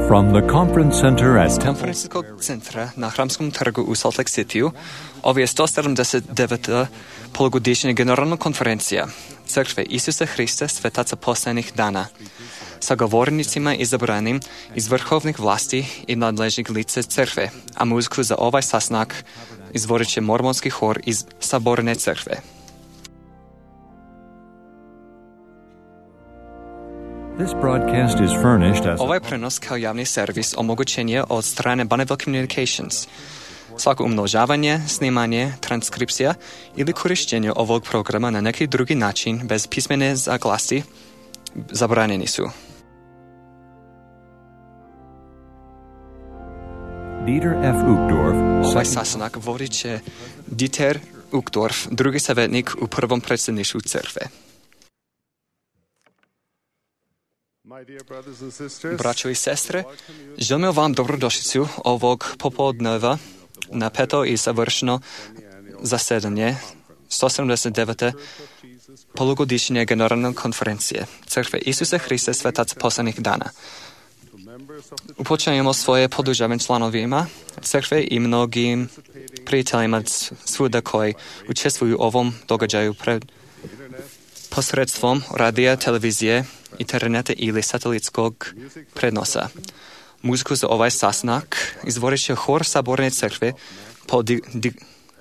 From the conference center at Конференційного центра на Храмському торгу у Солт-Лейк-Сіті ovo je 179. polugodišnja generalna konferencija Crkve Isusa Hrista Svetaca Poslanih dana sa govornicima izabranim iz vrhovnih vlasti i nadležnih lice Crkve, a muziku za ovaj sastanak izvodit će mormonski hor iz Saborne Crkve. This broadcast is furnished as Ovaj prenos kao javni servis omogućen je od strane Bonneville Communications. Svako umnožavanje, snimanje, transkripcija ili korištenje ovog programa na neki drugi način bez pismene zaglasi zabranjeni su. Dieter F. Uchtdorf, Ovaj sastanak vodit će Dieter Uchtdorf, drugi savjetnik u prvom predsjedništvu crkve. Braćo i sestre, želimo vam dobrodošlicu ovog popodneva na peto i savršeno zasedanje 179. polugodišnje generalne konferencije Crkve Isusa Hrista Svetaca Poslanih dana. Upočinjemo svoje podržavanje članovima crkve i mnogim prijateljima svuda koji učestvuju u ovom događaju posredstvom radija, televizije, interneta ili satelitskog prenosa. Muziku za ovaj sastanak izvodit će hor Saborne crkve pod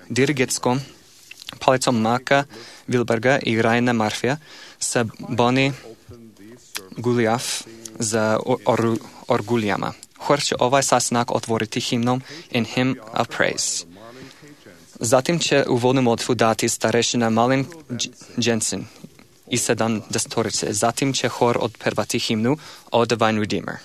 dirigetskom palicom Maka Wilberga i Raina Marfija sa Boni Guljaf za orguljama. Hor će ovaj sastanak otvoriti himnom In Hymn of Praise. Zatim će uvodnu molitvu dati starešina Malin Jensen i 70-torice. Zatim će hor odpevati himnu O Divine Redeemer.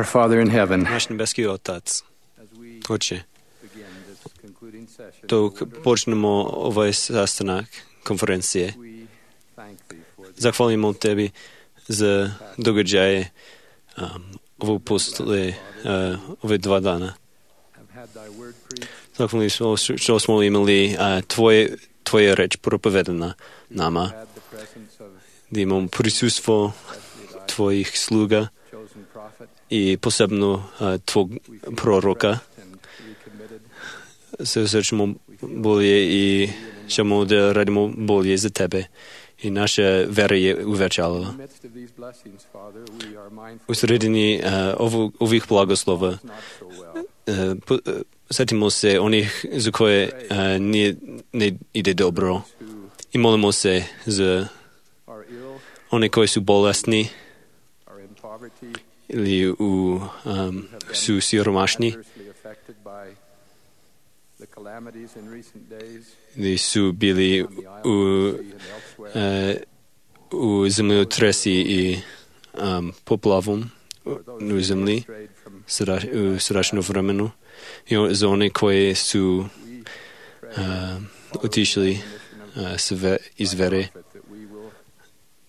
Father in heaven, Наш небесний Отець, as we Отче, begin this concluding session, то почнемо увесь застанок конференції. we thank Thee for the Захвалимо Тебе за догоджає випустили в 2 дана. have had Thy word preached, Захвалимо, що ми мали Твоя реч проповедана нама. had the presence of Да имам присутство especially Thy Твоих слуга chosen prophet. и посебно Твог пророка. And recommitted Се сърчимо болje и шамо да радимо болje за Тебе. И наша вера е увечала. in the midst of these blessings, Father, we are mindful Усредени ових благослова. it's not so well. Сетимо се оних, за кое не иде добро. Who И молимо се за are ill, они, кои са болестни are in poverty, или са сиромашни, adversely affected by the calamities in recent days или са били on the island of the sea and elsewhere. у земеотреси и поплавом For those на who земли strayed from страшно времено. И за они, кои са we pray отишли из вере. that we will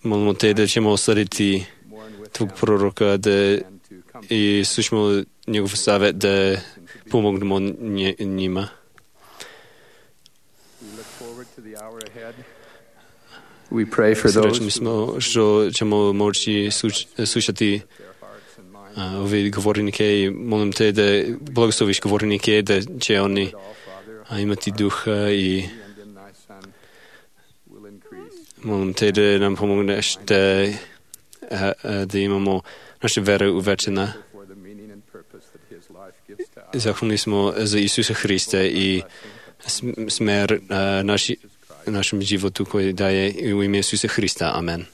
Молимо те да ćemo slediti mourn with Твог them пророка да and to comfort и слушamo негов съвет да помогнемо njima. We look forward to the hour ahead. We pray for those Сречни сме, що ćemo moći slušati their hearts and minds ovi govornike i molim te da blagosloviš govornike, da će oni all, Father, imati duha i and in Thy Son will increase. molim te da nam pomogneš da imamo naša vera uvečena. For the meaning and purpose that His life gives to us. Zahvalni smo za Isusa Hrista i smer našem životu koji daje u ime Isusa Hrista. Amen.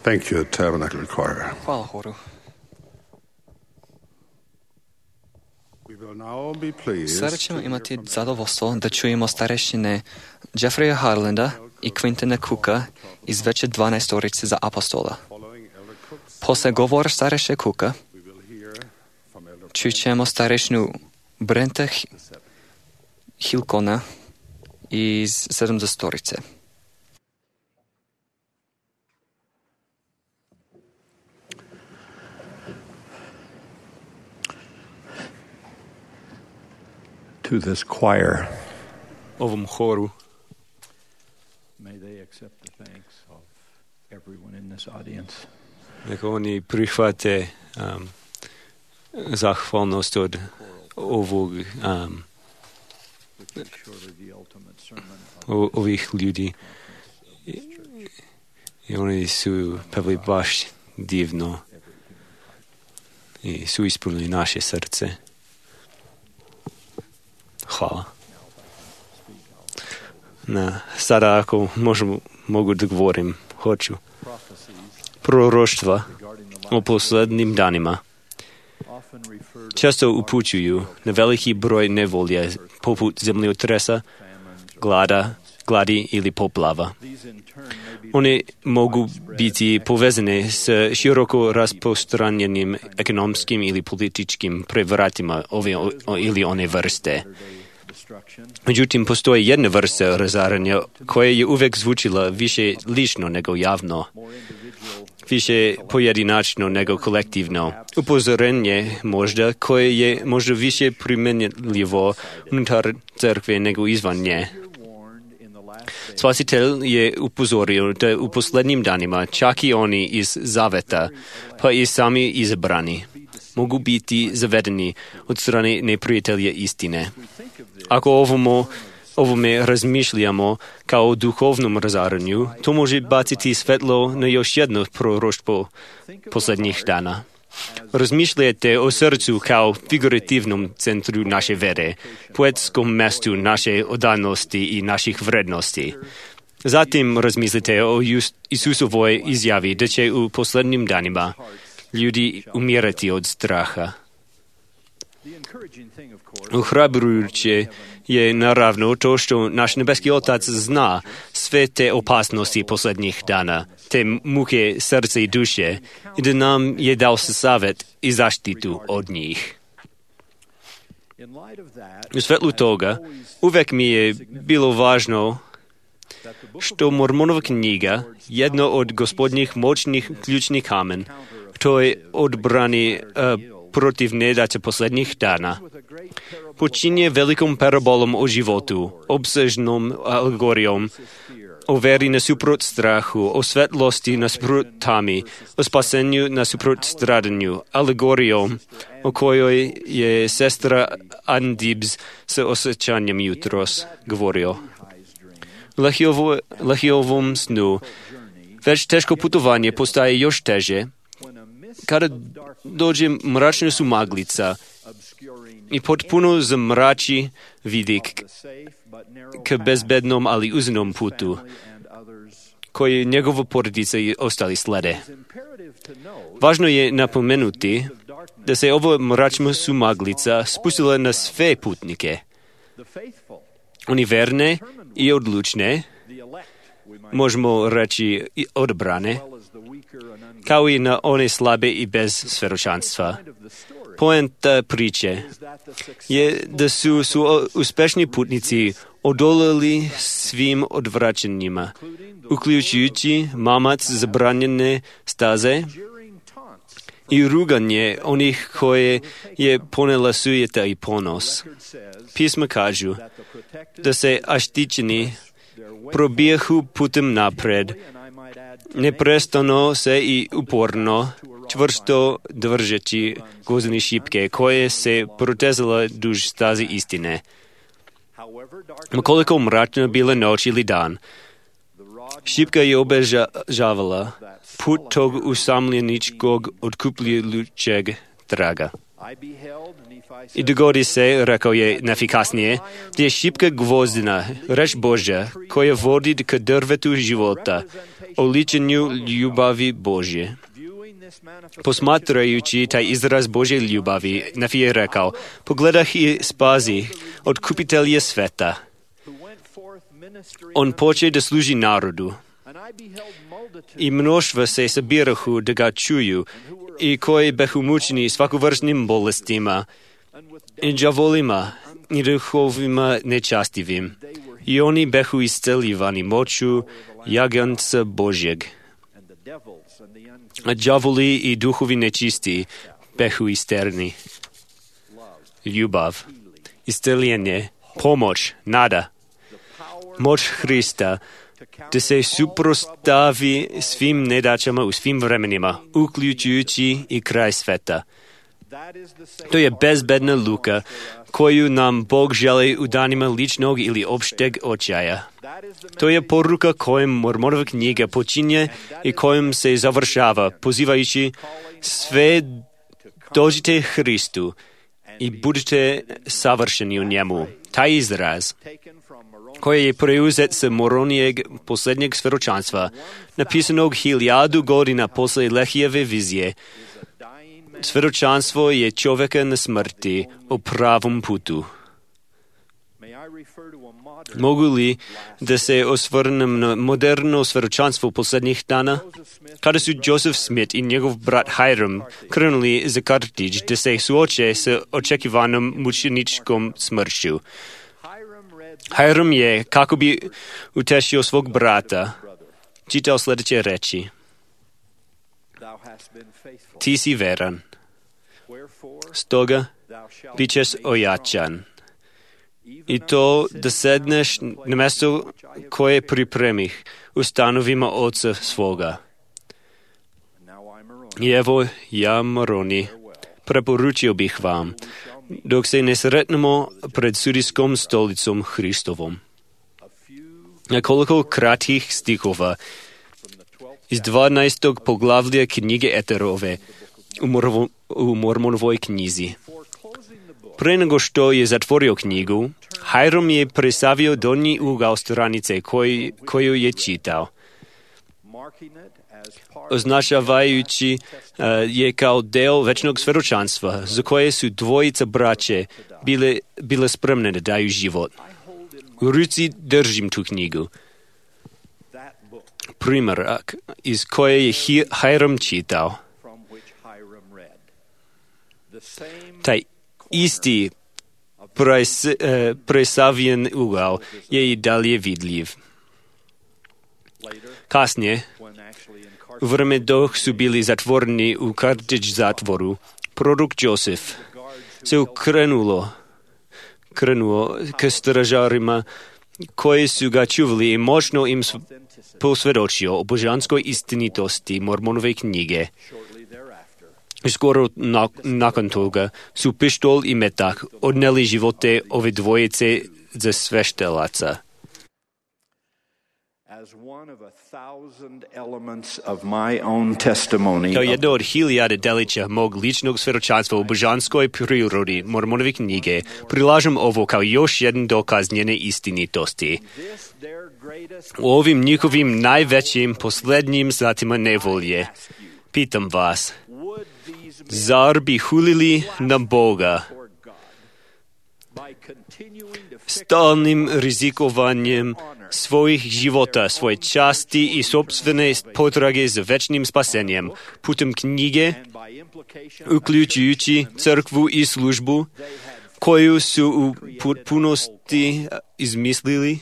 Thank you, Tabernacle Choir. Hvala horu. We will now be pleased Sada ćemo imati zadovoljstvo da čujemo starešine Jeffreya Harlanda i Quintana Cooka iz veće 12 za apostola. Posle govora stareše Cooka čućemo starešinu Brenta Hilkona iz 70. To this choir, Ovom horu may they accept the thanks of everyone in this audience. neka oni prihvate zahvalnost od ovog ovih ljudi. I oni su pevali baš divno i su ispunili naše srce. Hvala. Sada ako mogu da govorim, hoću. Proroštva o posljednjim danima često upućuju na veliki broj nevolje poput zemljotresa, gladi ili poplava. One mogu biti povezane s široko rasprostranjenim ekonomskim ili političkim prevratima ove ili one vrste. Međutim, postoji jedna vrsta razaranja koja je uvek zvučila više lično nego javno, više pojedinačno nego kolektivno. Upozorenje možda koje je možda više primjenljivo unutar crkve nego izvan nje. Spasitelj je upozorio da u posljednjim danima čak i oni iz zaveta, pa i sami izabrani, mogu biti zavedeni od strane neprijatelja istine. Ako ovome razmišljamo kao o duhovnom razaranju, to može baciti svetlo na još jedno proroštvo posljednjih dana. Razmišljajte o srcu kao figurativnom centru naše vere, poetskom mestu naše odanosti i naših vrednosti. Zatim razmislite o Isusovoj izjavi da će u posljednjim danima ljudi umirati od straha. Ohrabrujuće je naravno to što naš nebeski Otac zna sve te opasnosti posljednjih dana, te muke srca i duše, i da nam je dao savjet i zaštitu od njih. U svetlu toga, uvek mi je bilo važno što Mormonova knjiga, jedno od gospodnjih moćnih ključnih kamen, to je odbrani protiv nedaća posljednjih dana, počinje velikom parabolom o životu, obsežnom alegorijom, o veri nasuprot strahu, o svetlosti nasuprot tami, o spasenju nasuprot stradanju, alegorijom o kojoj je sestra Andibs sa osjećanjem jutros govorio. Lahiovom snu već teško putovanje postaje još teže kada dođe mračna sumaglica i potpuno zamrači vidik k bezbednom, ali uzenom putu, koji njegova porodica i ostali slede. Važno je napomenuti da se ova mračna sumaglica spustila na sve putnike. Oni verne i odlučne, možemo reći odabrane, kao i na one slabe i bez svedočanstva. Poenta priče je da su uspešni putnici odolali svim odvraćanjima, uključujući mamac zabranjene staze i ruganje onih koje je ponela sujeta i ponos. Pisma kažu da se aštićeni probijahu putem napred, neprestano se i uporno, čvrsto držeći gvozdene šipke koje se protezala duž stazi istine. Koliko mračna bila noć ili dan, šipka je obežavala put tog usamljeničkog otkupljujućeg traga. И догоди се, rekao je nafikasnije, gdje je šipka gvozdina, reč Božja, koja vodi k drvetu života, oličenju ljubavi Božje. Posmatrajući taj izraz Božje ljubavi, Nafi je rekao, pogledah i spazi od kupitelja sveta. On poče da služi narodu. I mnoštva se sabirahu da ga čuju, i koji behu mučeni svakovrstnim bolestima, i đavolima, i duhovima nečastivim. I oni behu isceljivani moću jaganca Božjeg. A đavoli i duhovi nečisti behu isterni. Ljubav, isceljenje, pomoć, nada, moć Hrista, da se suprostavi svim nedaćama u svim vremenima, uključujući i kraj sveta. To je bezbedna luka koju nam Bog želi u danima ličnog ili opšteg očaja. To je poruka kojom Mormonova knjiga počinje i kojom se završava, pozivajući sve dođite Hristu i budite savršeni u njemu. Taj izraz, koji je preuzet sa Moronijeg posljednjeg svedočanstva, napisanog 1000 godina posle Lehijeve vizije. Svedočanstvo je čovjeka na smrti o pravom putu. Mogu li da se osvrnem na moderno svedočanstvo posljednjih dana? Kada su Joseph Smith i njegov brat Hiram krenuli za Kartić da se suoče sa očekivanom mučeničkom smrću. Hiram je, kako bi utešio svog brata, čitao sljedeće reči. Ti si veran, stoga bit ćeš ojačan. I to da sedneš na mjesto koje pripremih u stanovima oca svoga. I evo ja, Moroni, preporučio bih vam, dok se ne sretnemo pred sudijskom stolicom Hristovom. Nekoliko kratkih stihova iz 12. poglavlja knjige Eterove u Mormonovoj knjizi. Pre nego što je zatvorio knjigu, Hiram je presavio donji ugao stranice koju je čitao, označavajući je kao deo večnog svedočanstva za koje su dvojica braće bile spremne da daju život. U ruci držim tu knjigu. Primerak iz koje je Hiram čitao. Taj isti presavljen ugao je i dalje vidljiv. Kasnije, u vreme dok su bili zatvoreni u Kartić zatvoru, prorok Joseph se krenuo k stražarima koji su ga čuvali i moćno im posvjedočio o božanskoj istinitosti Mormonove knjige. Skoro nakon toga su pištol i metak odneli živote ove dvojice za sveštelaca. Kao jedno od 1000 delića mog ličnog svjedočanstva u božanskoj prirodi Mormonove knjige, prilažem ovo kao još jedan dokaz njene istinitosti. U ovim njihovim najvećim posljednjim satima nevolje, pitam vas, zar bi hulili na Boga stalnim rizikovanjem svojih života, svoje časti i sopstvene potrage za večnim spasenjem putem knjige, uključujući crkvu i službu, koju su u potpunosti izmislili?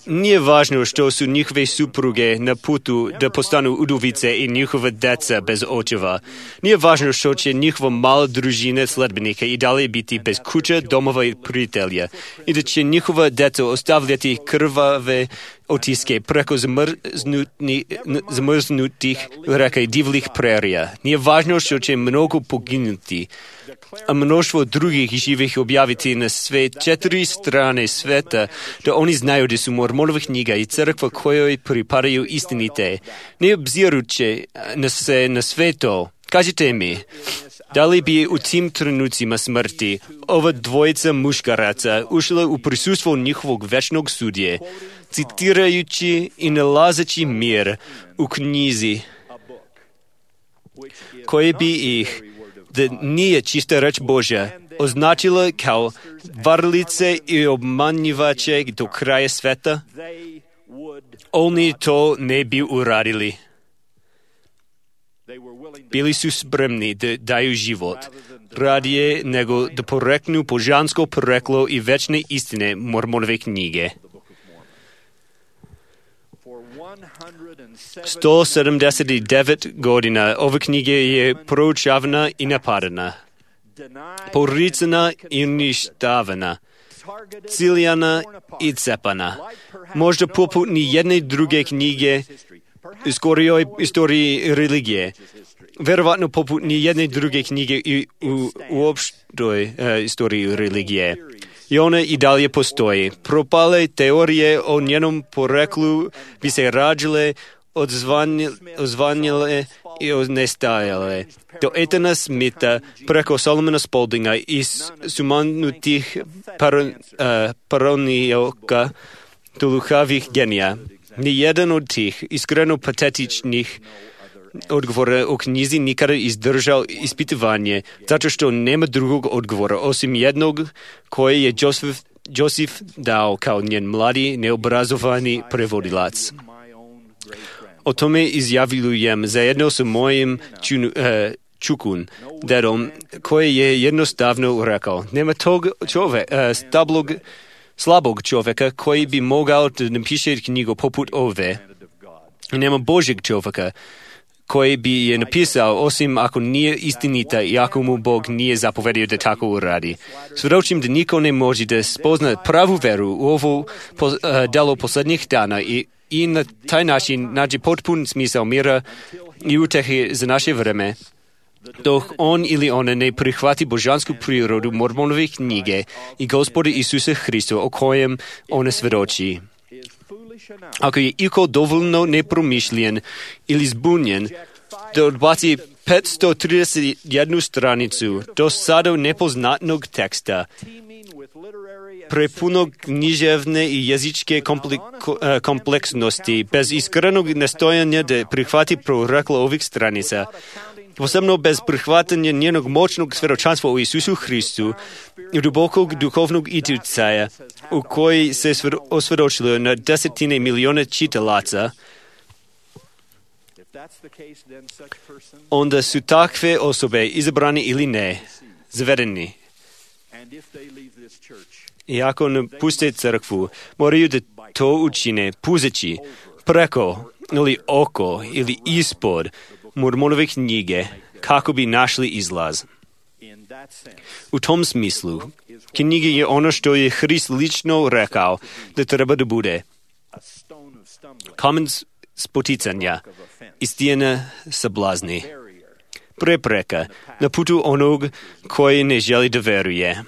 Nije važno što su njihove supruge na putu da postanu udovice i njihova deca bez očeva. Nije važno što će njihova mala družina sledbenika i dalje biti bez kuća, domova i prijatelja i da će njihova deca ostavljati krvave otiske preko zamrznutih reka i divljih prerija. Nije važno što će mnogo poginuti, a mnoštvo drugih živih objaviti na sve 4 strane sveta, da oni znaju da su Mormonova knjiga i crkva kojoj pripadaju istinite. Ne obziruće na sve to, kažite mi, Da li bi u tim trenucima smrti ova dvojica muškaraca ušla u prisustvo njihovog večnog sudje, citirajući i nalazeći mir u knjizi, koje bi ih, da nije čista reč Božja, označila kao varlice i obmanjivače do kraja sveta? Oni to ne bi uradili. Bili su spremni da daju život, radije nego da poreknu božansko poreklo i večne istine Mormonove knjige. 179 godina ova knjiga je proučavana i napadana, poricana i uništavana, ciljana i cepana. Možda poput ni jedne druge knjige u skorijoj istoriji religije. Verovatno poput ni jedne druge knjige u opštoj istoriji religije. I one i dalje postoji. Propale teorije o njenom poreklu bi se rađile, odzvanjile i nestajale. Do Etana Smitha preko Solomona Spaldinga i sumanutih paronijoka do luhavih genija. Nijedan od tih iskreno patetičnih odgovora o knjizi nikada izdržao ispitivanje, zato što nema drugog odgovora, osim jednog koje je Joseph dao kao njen mladi, neobrazovani prevodilac. O tome izjavljujem zajedno sa mojim čukun, dedom, koji je jednostavno rekao, nema tog slabog čovjeka koji bi mogao da napiše knjigu poput ove. Nema Božjeg čovjeka koji bi je napisao, osim ako nije istinita i ako mu Bog nije zapovedio da tako uradi. Svjedočim da niko ne može da spozna pravu veru u ovo delo posljednjih dana i na taj način nađe potpun smisao mira i utehe za naše vreme, dok on ili ona ne prihvati božansku prirodu Mormonove knjige i Gospoda Isusa Hrista o kojem ona svjedoči. Ako je iko dovoljno nepromišljen ili zbunjen da odbaci 531 stranicu do sada nepoznatnog teksta, prepunog književne i jezičke kompleksnosti, bez iskrenog nastojanja da prihvati proreklo ovih stranica, posebno bez prihvatanja njenog moćnog svjedočanstva o Isusu Hristu i dubokog duhovnog utjecaja u koji se osvjedočilo na desetine miliona čitalaca, onda su takve osobe, izabrani ili ne, zavedeni. I ako napuste crkvu, moraju da to učine puzeći preko ili oko ili ispod Mormonove knjige kako bi našli izlaz. U tom smislu, knjiga je ono što je Hrist lično rekao da treba da bude. Kamen spoticanja i stijena sablazni. Prepreka na putu onog koji ne želi da veruje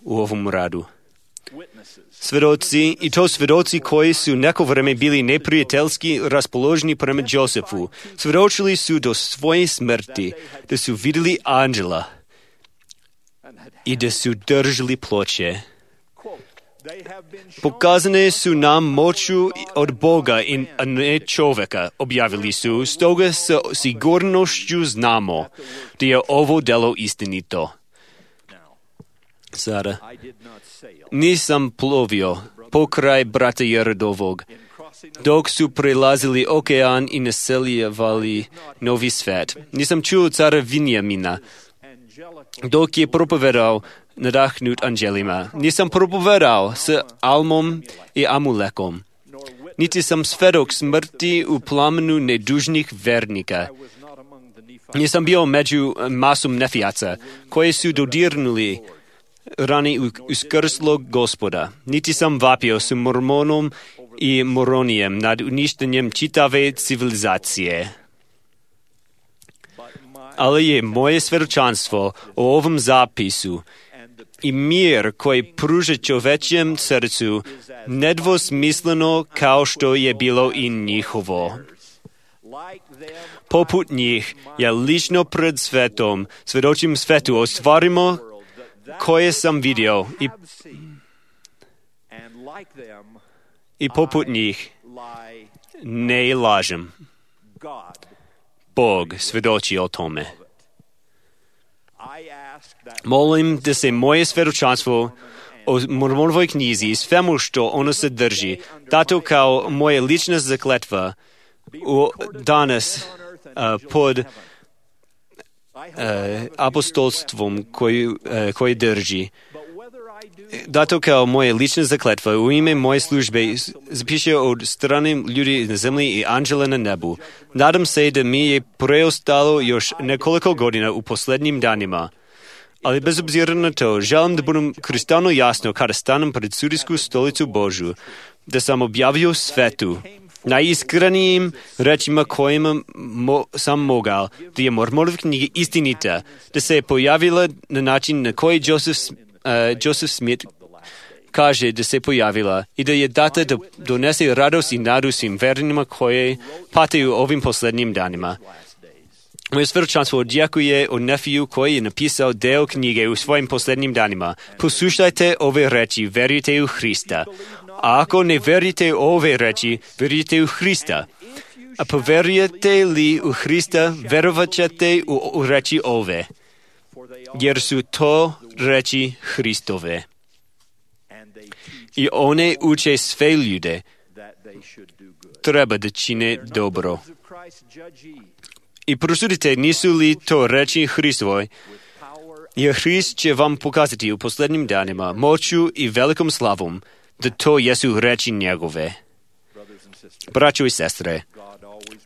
u ovom radu. Svedoci, i to svedoci koji su neko vreme bili neprijateljski raspoloženi prema Josefu, svedočili su do svoje smrti da su vidjeli anđela i da su držali ploče. Pokazane su nam moću od Boga a ne čovjeka, objavili su, stoga sa sigurnošću znamo da je ovo delo istinito. Sada, nisam plovio pokraj brata Jerodovog, dok su prelazili okean i naseljavali novi svet. Nisam čuo cara Vinjamina, dok je propovedao nadahnut anđelima. Nisam propovedao s Almom i Amulekom. Niti sam svedok smrti u plamenu nedužnih vernika. Nisam bio među masom nefijaca, koji su dodirnuli rani uskrslog Gospoda. Niti sam vapio s Mormonom i Moronijem nad uništenjem čitave civilizacije. Ali je moje svjedočanstvo o ovom zapisu i mir koji pruža čovečjem srcu nedvosmisleno kao što je bilo i njihovo. Poput njih, ja lično pred svetom, svedočim svetu o stvarima koje sam vidio i poput njih ne lažem. Bog svedoči o tome. Molim da se moje svjedočanstvo o Mormonovoj knjizi i svemu što ono sadrži, dato kao moje lična zakletva danas pod apostolstvom koji drži. Dato kao moje lična zakletva u ime moje službe zapiše od strane ljudi na zemlji i anđela na nebu. Nadam se da mi je preostalo još nekoliko godina u posljednjim danima. Ali bez obzira na to, želim da budem kristalno jasno kada stanem pred sudijsku stolicu Božju, da sam objavio svetu najiskrenijim rečima kojima sam mogao, da je Mormonova knjiga istinita, da se je pojavila na način na koji Joseph Smith kaže da se pojavila i da je data da donese radost i nadu svim vernima koje pate u ovim posljednjim danima. Moje svjedočanstvo odjekuje od Nefiju koji je napisao deo knjige u svojim posljednjim danima. Poslušajte ove reči, verujte u Hrista. A ako ne verujete u ove reči, verujte u Hrista. A poverujete li u Hrista, verovat ćete u reči ove, jer su to reči Hristove. I one uče sve ljude, treba da čine dobro. I prosudite, nisu li to reči Hristove, jer Hrist će vam pokazati u posljednjim danima moću i velikom slavom, da to jesu reči njegove. Braćo i sestre,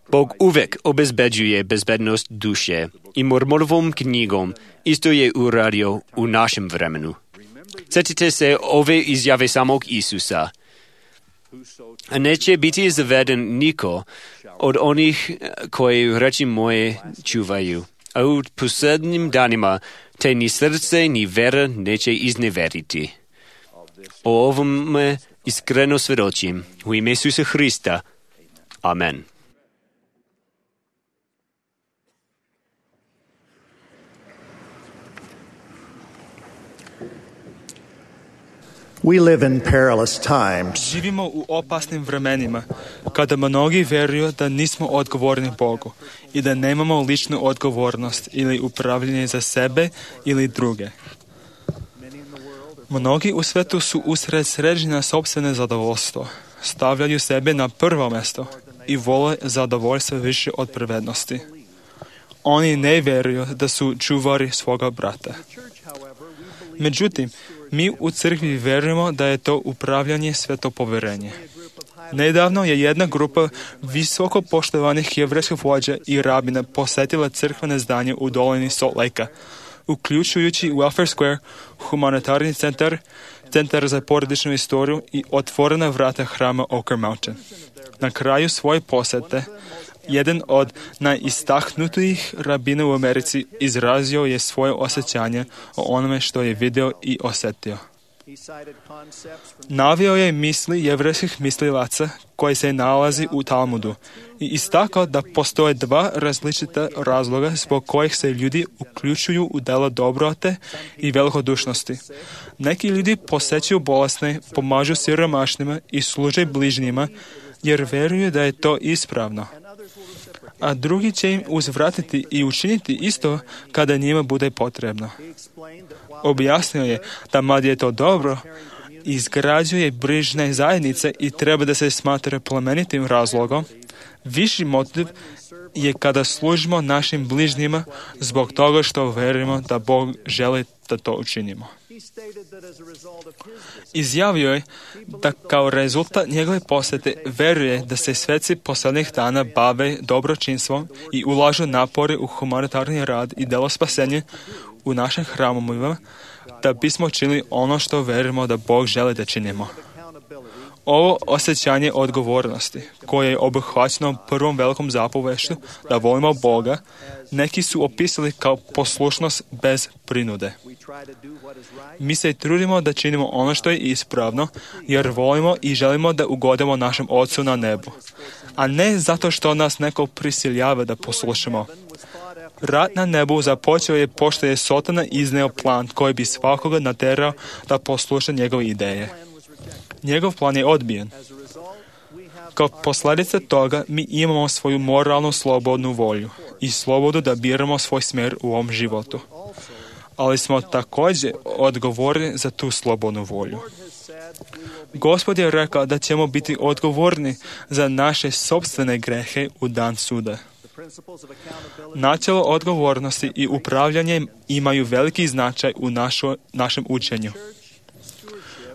Bog uvek obezbeđuje bezbednost duše i Mormonovom knjigom isto je uradio u našem vremenu. Sjetite se ove izjave samog Isusa. A neće biti zaveden niko od onih koji reči moje čuvaju. A u posljednjim danima te ni srce ni vera neće izneveriti. O ovome iskreno svjedočim u ime Isusa Hrista. Amen. We live in perilous times. Živimo u opasnim vremenima, kada mnogi vjeruju da nismo odgovorni Bogu i da nemamo ličnu odgovornost ili upravljanje za sebe ili druge. Mnogi u svetu su usred sređenja sopstvene zadovoljstvo, stavljaju sebe na prvo mjesto i vole zadovoljstvo više od pravednosti. Oni ne vjeruju da su čuvari svoga brata. Međutim, mi u crkvi vjerujemo da je to upravljanje sveto povjerenje. Nedavno je jedna grupa visoko poštovanih jevrejskih vođa i rabina posjetila crkvene zdanje u dolini Salt Lake-a, uključujući Welfare Square, humanitarni centar, centar za porodičnu istoriju i otvorena vrata hrama Oker Mountain. Na kraju svoje posjete, jedan od najistahnutijih rabina u Americi izrazio je svoje osjećanje o onome što je vidio i osjetio. Naveo je misli jevrejskih mislilaca koji se nalazi u Talmudu i istakao da postoje dva različita razloga zbog kojih se ljudi uključuju u dela dobrote i velikodušnosti. Neki ljudi posjećuju bolesne, pomažu siromašnima i služe bližnjima jer vjeruju da je to ispravno. A drugi će im uzvratiti i učiniti isto kada njima bude potrebno. Objasnio je da mad je to dobro, izgrađuje brižne zajednice i treba da se smatra plemenitim razlogom. Viši motiv je kada služimo našim bližnjima zbog toga što vjerujemo da Bog želi da to učinimo. Izjavio je da kao rezultat njegove posjete vjeruje da se sveci posljednjih dana bave dobročinstvom i ulažu napore u humanitarni rad i delo spasenja u našim hramovima da bismo činili ono što vjerujemo da Bog želi da činimo. Ovo osjećanje odgovornosti, koje je obuhvaćeno prvom velikom zapovešću da volimo Boga, neki su opisali kao poslušnost bez prinude. Mi se trudimo da činimo ono što je ispravno, jer volimo i želimo da ugodimo našem Ocu na nebu, a ne zato što nas neko prisiljava da poslušamo. Rat na nebu započeo je pošto je Sotona izneo plan koji bi svakoga naterao da posluša njegove ideje. Njegov plan je odbijen. Kao posljedica toga mi imamo svoju moralnu slobodnu volju i slobodu da biramo svoj smjer u ovom životu. Ali smo također odgovorni za tu slobodnu volju. Gospod je rekao da ćemo biti odgovorni za naše sopstvene grehe u dan suda. Načelo odgovornosti i upravljanje imaju veliki značaj u našem učenju.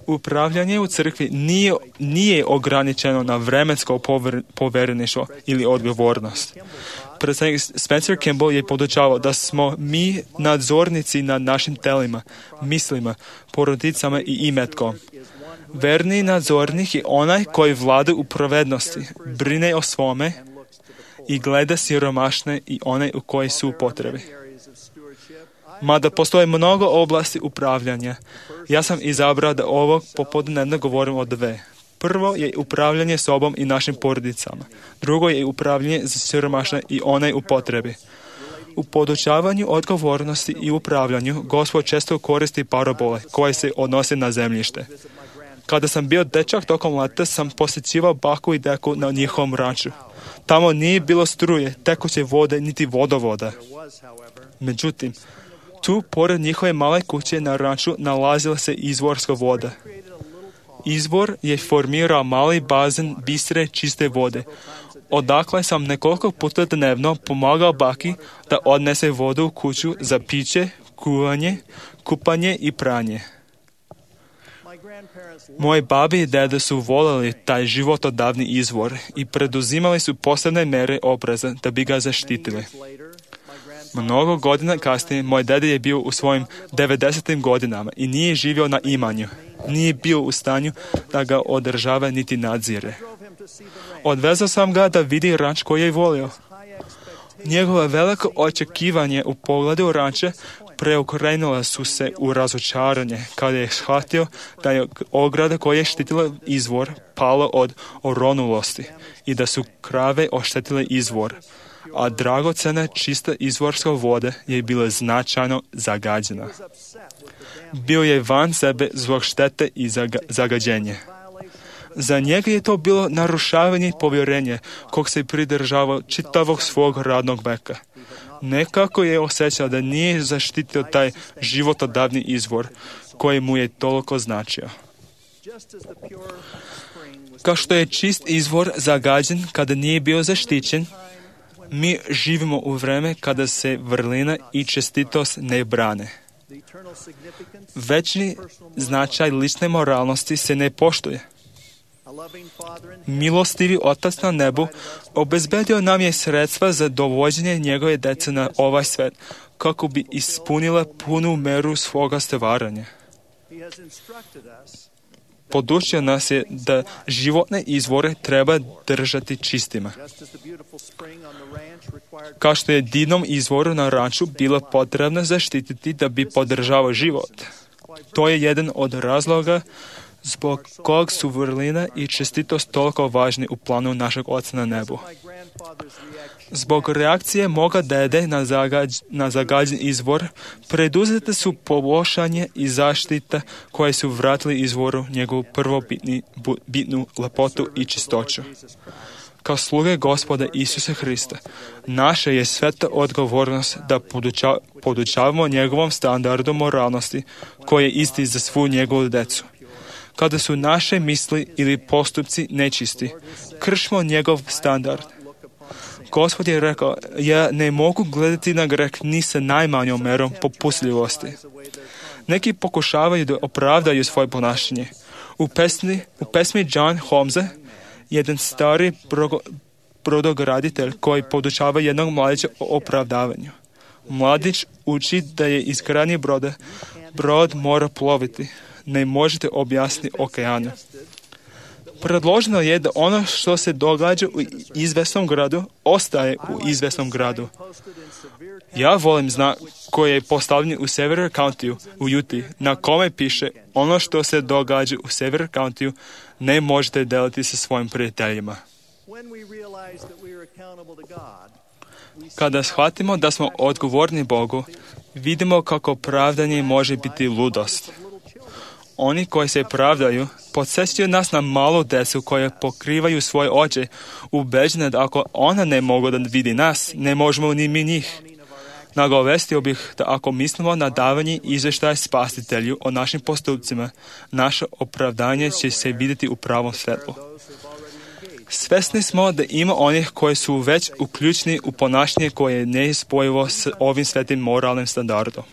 Upravljanje u crkvi nije ograničeno na vremensko povereništvo ili odgovornost. Predsjednik Spencer Kimball je podučavao da smo mi nadzornici nad našim telima, mislima, porodicama i imetkom. Verni nadzornik je onaj koji vlada u pravednosti, brine o svome i gleda siromašne i one u koji su u potrebi. Mada postoje mnogo oblasti upravljanja, ja sam izabrao da ovog popodnevno govorim o dve. Prvo je upravljanje sobom i našim porodicama. Drugo je upravljanje za siromašne i one u potrebi. U podučavanju odgovornosti i upravljanju Gospod često koristi parabole koje se odnose na zemljište. Kada sam bio dečak tokom leta sam posjećivao baku i deku na njihovom ranču. Tamo nije bilo struje, tekuće vode, niti vodovoda. Međutim, tu, pored njihove male kuće na ranču, nalazila se izvorska voda. Izvor je formirao mali bazen bistre, čiste vode. Odakle sam nekoliko puta dnevno pomagao baki da odnese vodu u kuću za piće, kuvanje, kupanje i pranje. Moji babi i dede su voljeli taj životodavni izvor i preduzimali su posebne mjere opreza da bi ga zaštitili. Mnogo godina kasnije, moj dede je bio u svojim 90. godinama i nije živio na imanju. Nije bio u stanju da ga održava niti nadzire. Odvezao sam ga da vidi ranč koji je volio. Njegova veliko očekivanje u pogledu ranče preokrenula su se u razočaranje kada je shvatio da je ograda koja je štitila izvor pala od oronulosti i da su krave oštetile izvor, a dragocena čista izvorska voda je bila značajno zagađena. Bio je van sebe zbog štete i zagađenja. Za njega je to bilo narušavanje povjerenja kog se pridržavao čitavog svog radnog veka. Nekako je osjećao da nije zaštitio taj životodavni izvor koji mu je toliko značio. Kao što je čist izvor zagađen kada nije bio zaštićen, mi živimo u vreme kada se vrlina i čestitost ne brane. Večni značaj lične moralnosti se ne poštuje. Milostivi Otac na nebu obezbedio nam je sredstva za dovođenje njegove djece na ovaj svet, kako bi ispunila punu meru svoga stvaranja. Podučio nas je da životne izvore treba držati čistima. Kao što je divnom izvoru na ranču bilo potrebno zaštititi da bi podržavao život. To je jedan od razloga zbog kog su vrlina i čestitost toliko važni u planu našeg Oca na nebu. Zbog reakcije moga dede na zagađen izvor, preduzete su poboljšanje i zaštita koje su vratili izvoru njegovu prvobitnu lepotu i čistoću. Kao sluge Gospoda Isusa Hrista, naša je sveta odgovornost da podučavamo njegovom standardu moralnosti koji je isti za svu njegovu decu. Kada su naše misli ili postupci nečisti, kršimo njegov standard. Gospod je rekao, ja ne mogu gledati na greh ni sa najmanjom merom popustljivosti. Neki pokušavaju da opravdaju svoje ponašanje. U pesmi John Holmesa, jedan stari brodograditelj koji podučava jednog mladića o opravdavanju. Mladić uči da je izgradnji brod mora ploviti. Ne možete objasniti okeanu. Predloženo je da ono što se događa u izvesnom gradu, ostaje u izvesnom gradu. Ja volim znak koji je postavljen u Sevier Countyu u Utah, na kome piše ono što se događa u Sevier Countyu ne možete deliti sa svojim prijateljima. Kada shvatimo da smo odgovorni Bogu, vidimo kako pravdanje može biti ludost. Oni koji se pravdaju podsjećaju nas na malu djecu koje pokrivaju svoje oči, ubeđene da ako ona ne mogu da vidi nas, ne možemo ni mi njih. Nagovestio bih da ako mislimo na davanje izvještaja Spasitelju o našim postupcima, naše opravdanje će se vidjeti u pravom svjetlu. Svesni smo da ima onih koji su već uključeni u ponašanje koje je nespojivo s ovim svetim moralnim standardom.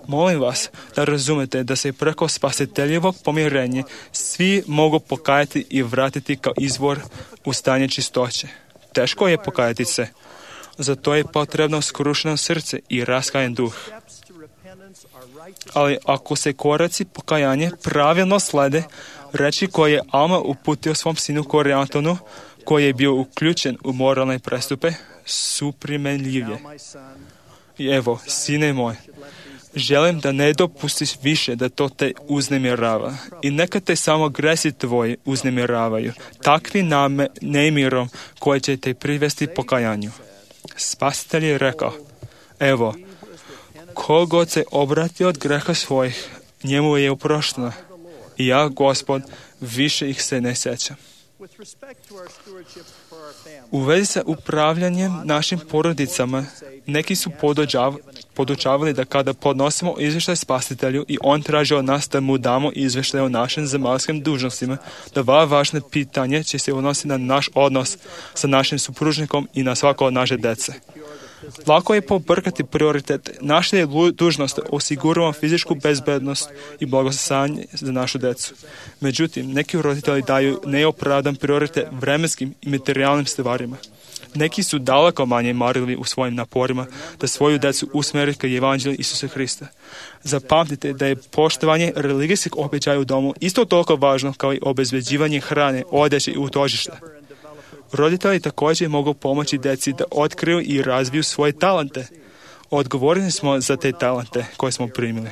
Molim vas da razumete da se preko spasiteljevog pomirenja svi mogu pokajati i vratiti kao izvor u stanje čistoće. Teško je pokajati se. Zato je potrebno skrušeno srce i raskajan duh. Ali ako se koraci pokajanja pravilno slede, reči koje je Alma uputio svom sinu Kori Antonu, koji je bio uključen u moralne prestupe, su primenljivije. I evo, sine moj, želim da ne dopustiš više da to te uznemirava. I neka te samo gresi tvoji uznemiravaju, takvi nemirom koji će te privesti pokajanju. Spasitelj je rekao, evo, ko god se obrati od greha svojih, njemu je oprošteno. I ja, Gospod, više ih se ne sjećam. U vezi sa upravljanjem našim porodicama, neki su podučavali da kada podnosimo izvještaj Spasitelju i on traži od nas da mu damo izvještaj o našim zemaljskim dužnostima, da važno pitanje će se odnositi na naš odnos sa našim supružnikom i na svako od naše djece. Lako je pobrkati prioritete. Naša je dužnost da osiguramo fizičku bezbednost i blagostanje za našu djecu. Međutim, neki roditelji daju neopravdan prioritet vremenskim i materijalnim stvarima. Neki su daleko manje marili u svojim naporima da svoju djecu usmjeri ka evanđelju Isusa Hrista. Zapamtite da je poštovanje religijskih običaja u domu isto toliko važno kao i obezbeđivanje hrane, odjeće i utočišta. Roditelji također mogu pomoći djeci da otkriju i razviju svoje talente. Odgovorni smo za te talente koje smo primili.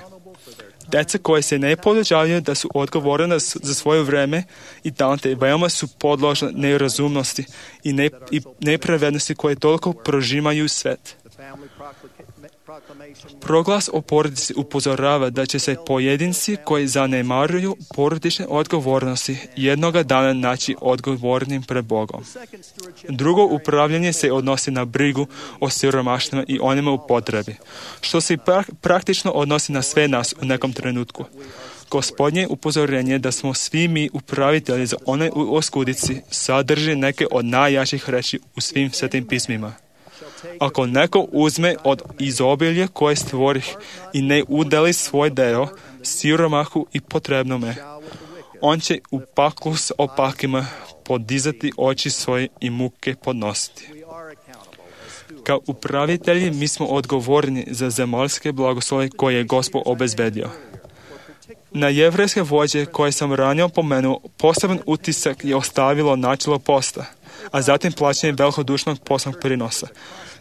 Djeca koje se ne podučavaju da su odgovorne za svoje vrijeme i talente veoma su podložne nerazumnosti i nepravednosti koje toliko prožimaju svet. Proglas o porodici upozorava da će se pojedinci koji zanemaruju porodične odgovornosti jednoga dana naći odgovornim pred Bogom. Drugo upravljanje se odnosi na brigu o siromašnima i onima u potrebi, što se praktično odnosi na sve nas u nekom trenutku. Gospodnje upozorenje da smo svi mi upravitelji za one u oskudici sadrži neke od najjačih reči u svim svetim pismima. Ako neko uzme od izobilja koje stvorih i ne udeli svoj deo siromahu i potrebnome, on će u paklu s opakima podizati oči svoje i muke podnositi. Kao upravitelji mi smo odgovorni za zemaljske blagoslove koje je Gospod obezbedio. Na jevrejske vođe koje sam ranije pomenuo, poseban utisak je ostavilo načelo posta, a zatim plaćanje velikodušnog posnog prinosa.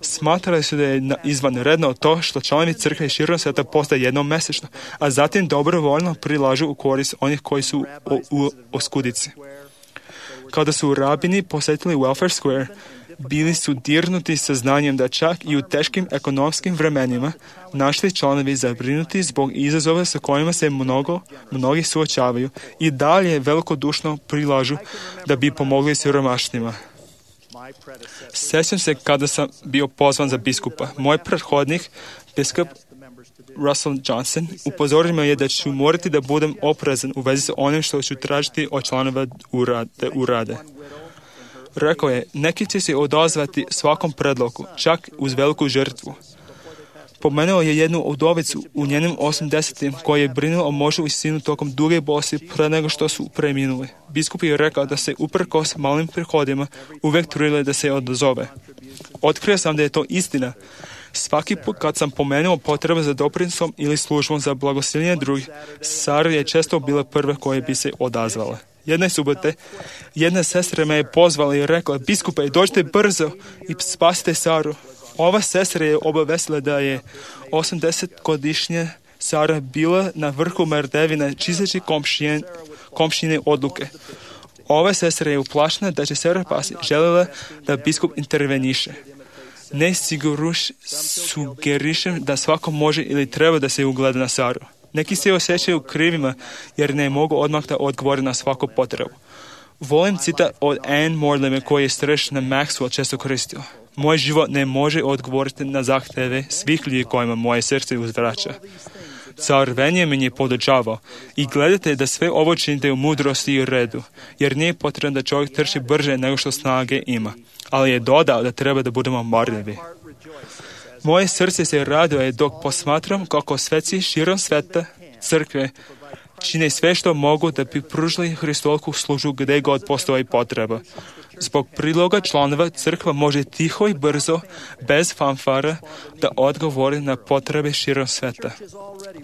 Smatrali su da je izvanredno to što članovi crkve širom sveta postaje jednom mjesečno, a zatim dobrovoljno prilažu u korist onih koji su u oskudici. Kada su rabini posjetili Welfare Square, bili su dirnuti saznanjem da čak i u teškim ekonomskim vremenima našli članovi zabrinuti zbog izazova sa kojima se mnogi suočavaju i dalje velikodušno prilažu da bi pomogli siromašnima. Sjećam se kada sam bio pozvan za biskupa. Moj prethodnik, biskup Russell Johnson, upozorio me je da ću morati da budem oprezan u vezi sa onim što ću tražiti od članova da urade. Rekao je, neki će se odazvati svakom predlogu, čak uz veliku žrtvu. Pomenuo je jednu udovicu u njenim 80-im koja je brinula o mužu i sinu tokom duge bolesti pre nego što su preminuli. Biskup je rekao da se uprkos malim prihodima uvijek trudile da se odazove. Otkrio sam da je to istina. Svaki put kad sam pomenuo potrebu za doprinosom ili službom za blagosiljenje drugih, Sara je često bila prva koje bi se odazvala. Jedne subote, jedna sestra me je pozvala i rekla: biskupe, dođite brzo i spasite Saru. Ova sestra je obavestila da je 80-godišnja Sara bila na vrhu merdevine čisteći komšine odluke. Ova sestra je uplašena da će Sara pasti, željela da biskup interveniše. Ne sugerišem da svako može ili treba da se ugleda na Saru. Neki se osjećaju krivima jer ne mogu odmah da odgovore na svaku potrebu. Volim citat od Anne Morlime koji je starešina Maxwell često koristio. Moj život ne može odgovoriti na zahteve svih ljudi kojima moje srce uzvraća. Car Benjamin je podučavao: i gledajte da sve ovo činite u mudrosti i redu, jer nije potrebno da čovjek trči brže nego što snage ima, ali je dodao da treba da budemo marljivi. Moje srce se raduje dok posmatram kako sveci širom sveta, crkve, čine sve što mogu da bi pružili Hristolku službu gdje god postoji potreba. Zbog priloga članova crkva može tiho i brzo, bez fanfara, da odgovori na potrebe širom sveta.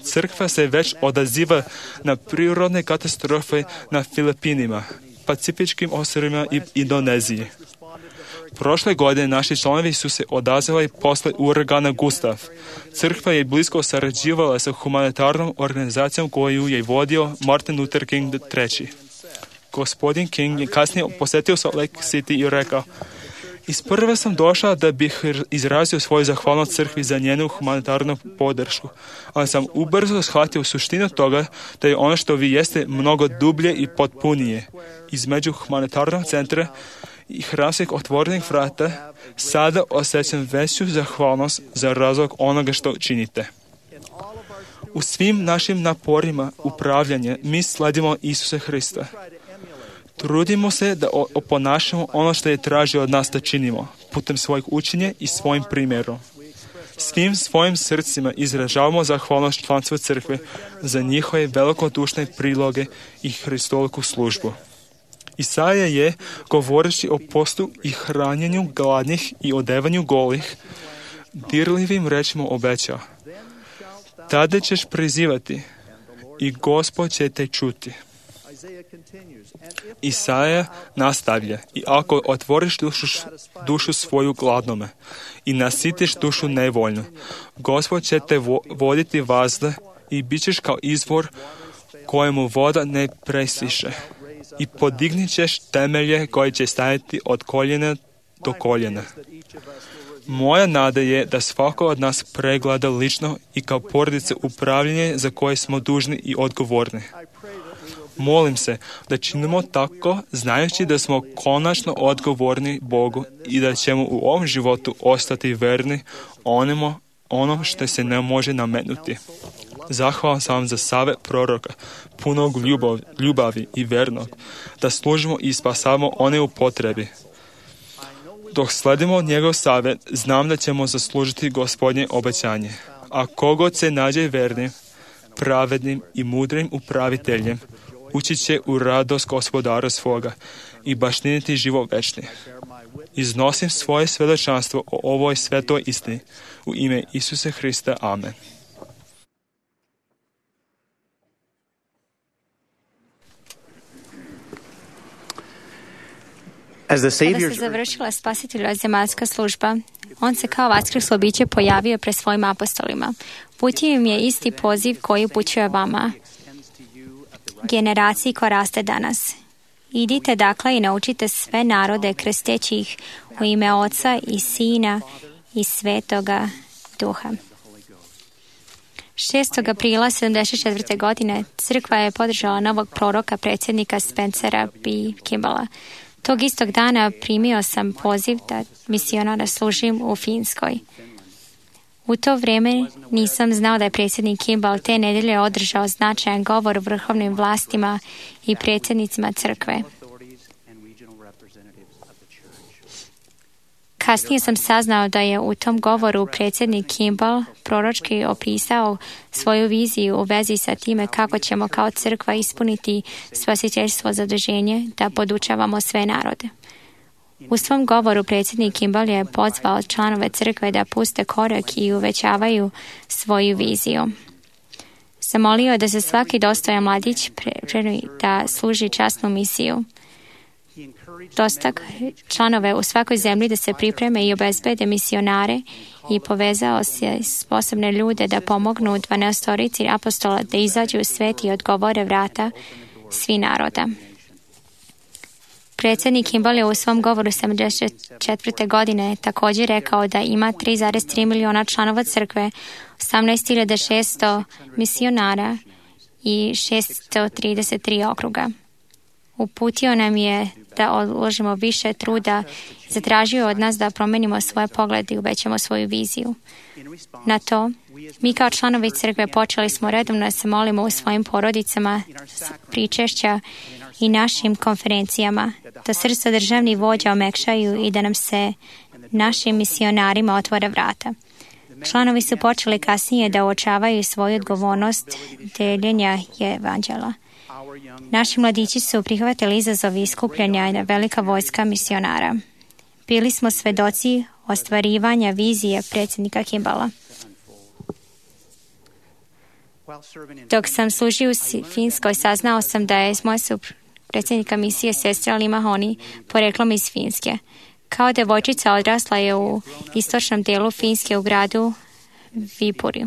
Crkva se već odaziva na prirodne katastrofe na Filipinima, Pacifičkim ostrvima i Indoneziji. Prošle godine naši članovi su se odazvali posle uragana Gustav. Crkva je blisko sarađivala sa humanitarnom organizacijom koju je vodio Martin Luther King III. Gospodin King je kasnije posjetio Salt Lake City i rekao: isprva sam došao da bih izrazio svoju zahvalnost crkvi za njenu humanitarnu podršku, ali sam ubrzo shvatio suštinu toga da je ono što vi jeste mnogo dublje i potpunije. Između humanitarnog centra i hramskih otvorenih vrata sada osjećam veću zahvalnost za razlog onoga što činite. U svim našim naporima upravljanja mi sledimo Isusa Hrista. Trudimo se da oponašamo ono što je tražio od nas da činimo, putem svojeg učenja i svojim primjerom. Svim svojim srcima izražavamo zahvalnost članstva crkve za njihove velikodušne priloge i Hristoliku službu. Isaija je, govoreći o postu i hranjenju gladnih i odevanju golih, dirljivim rečima obećao: tada ćeš prizivati i Gospod će te čuti. Isaija nastavlja: i ako otvoriš dušu svoju gladnome i nasitiš dušu nevoljnu, Gospod će te voditi vazda i bit ćeš kao izvor kojemu voda ne presiše. I podignit ćeš temelje koje će stajati od koljena do koljena. Moja nada je da svako od nas pregleda lično i kao porodice upravljanje za koje smo dužni i odgovorni. Molim se da činimo tako, znajući da smo konačno odgovorni Bogu i da ćemo u ovom životu ostati verni onom što se ne može nametnuti. Zahvalan sam vam za savjet proroka, punog ljubavi i vernog, da služimo i spasavamo one u potrebi. Dok sledimo njegov savjet, znam da ćemo zaslužiti Gospodnje obećanje. A kogod se nađe vernim, pravednim i mudrim upraviteljem, ući će u radost Gospodara svoga i baštiniti život večni. Iznosim svoje svjedočanstvo o ovoj svetoj istini u ime Isusa Hrista. Amen. As the Kada se Savior's završila Spasiteljova zemaljska služba, on se kao vaskrslo biće pojavio pred svojim apostolima. Uputio im je isti poziv koji upućuje vama, generaciji koja raste danas. Idite dakle i naučite sve narode krsteći ih u ime Oca i Sina i Svetoga Duha. 6. aprila 1974. godine crkva je podržala novog proroka predsjednika Spencera B. Kimballa. Tog istog dana primio sam poziv da misionara služim u Finskoj. U to vrijeme nisam znao da je predsjednik Kimball te nedjelje održao značajan govor vrhovnim vlastima i predsjednicima crkve. Kasnije sam saznao da je u tom govoru predsjednik Kimball proročki opisao svoju viziju u vezi sa time kako ćemo kao crkva ispuniti spasiteljstvo zaduženje da podučavamo sve narode. U svom govoru predsjednik Kimball je pozvao članove crkve da puste korak i uvećavaju svoju viziju. zamolio da se svaki dostojan mladić da služi časnu misiju. Dostak članove u svakoj zemlji da se pripreme i obezbede misionare i povezao se sposobne ljude da pomognu 12 apostola da izađu u svet i odgovore vrata svi naroda. Predsjednik Kimball je u svom govoru 74. godine također rekao da ima 3,3 miliona članova crkve, 18.600 misionara i 633 okruga. Uputio nam je da uložimo više truda, zatražio od nas da promenimo svoje poglede i uvećamo svoju viziju. Na to, mi kao članovi crkve počeli smo redovno da se molimo u svojim porodicama, pričešća i našim konferencijama, da srca državnih vođa omekšaju i da nam se našim misionarima otvore vrata. Članovi su počeli kasnije da uočavaju svoju odgovornost deljenja evanđela. Naši mladići su prihvatili izazov iskupljanja i velika vojska misionara. Bili smo svedoci ostvarivanja vizije predsjednika Kimballa. Dok sam služio u Finskoj, saznao sam da je moja predsjednika misije sestra Lima Honi poreklom iz Finske. Kao devojčica odrasla je u istočnom dijelu Finske u gradu Viipuri.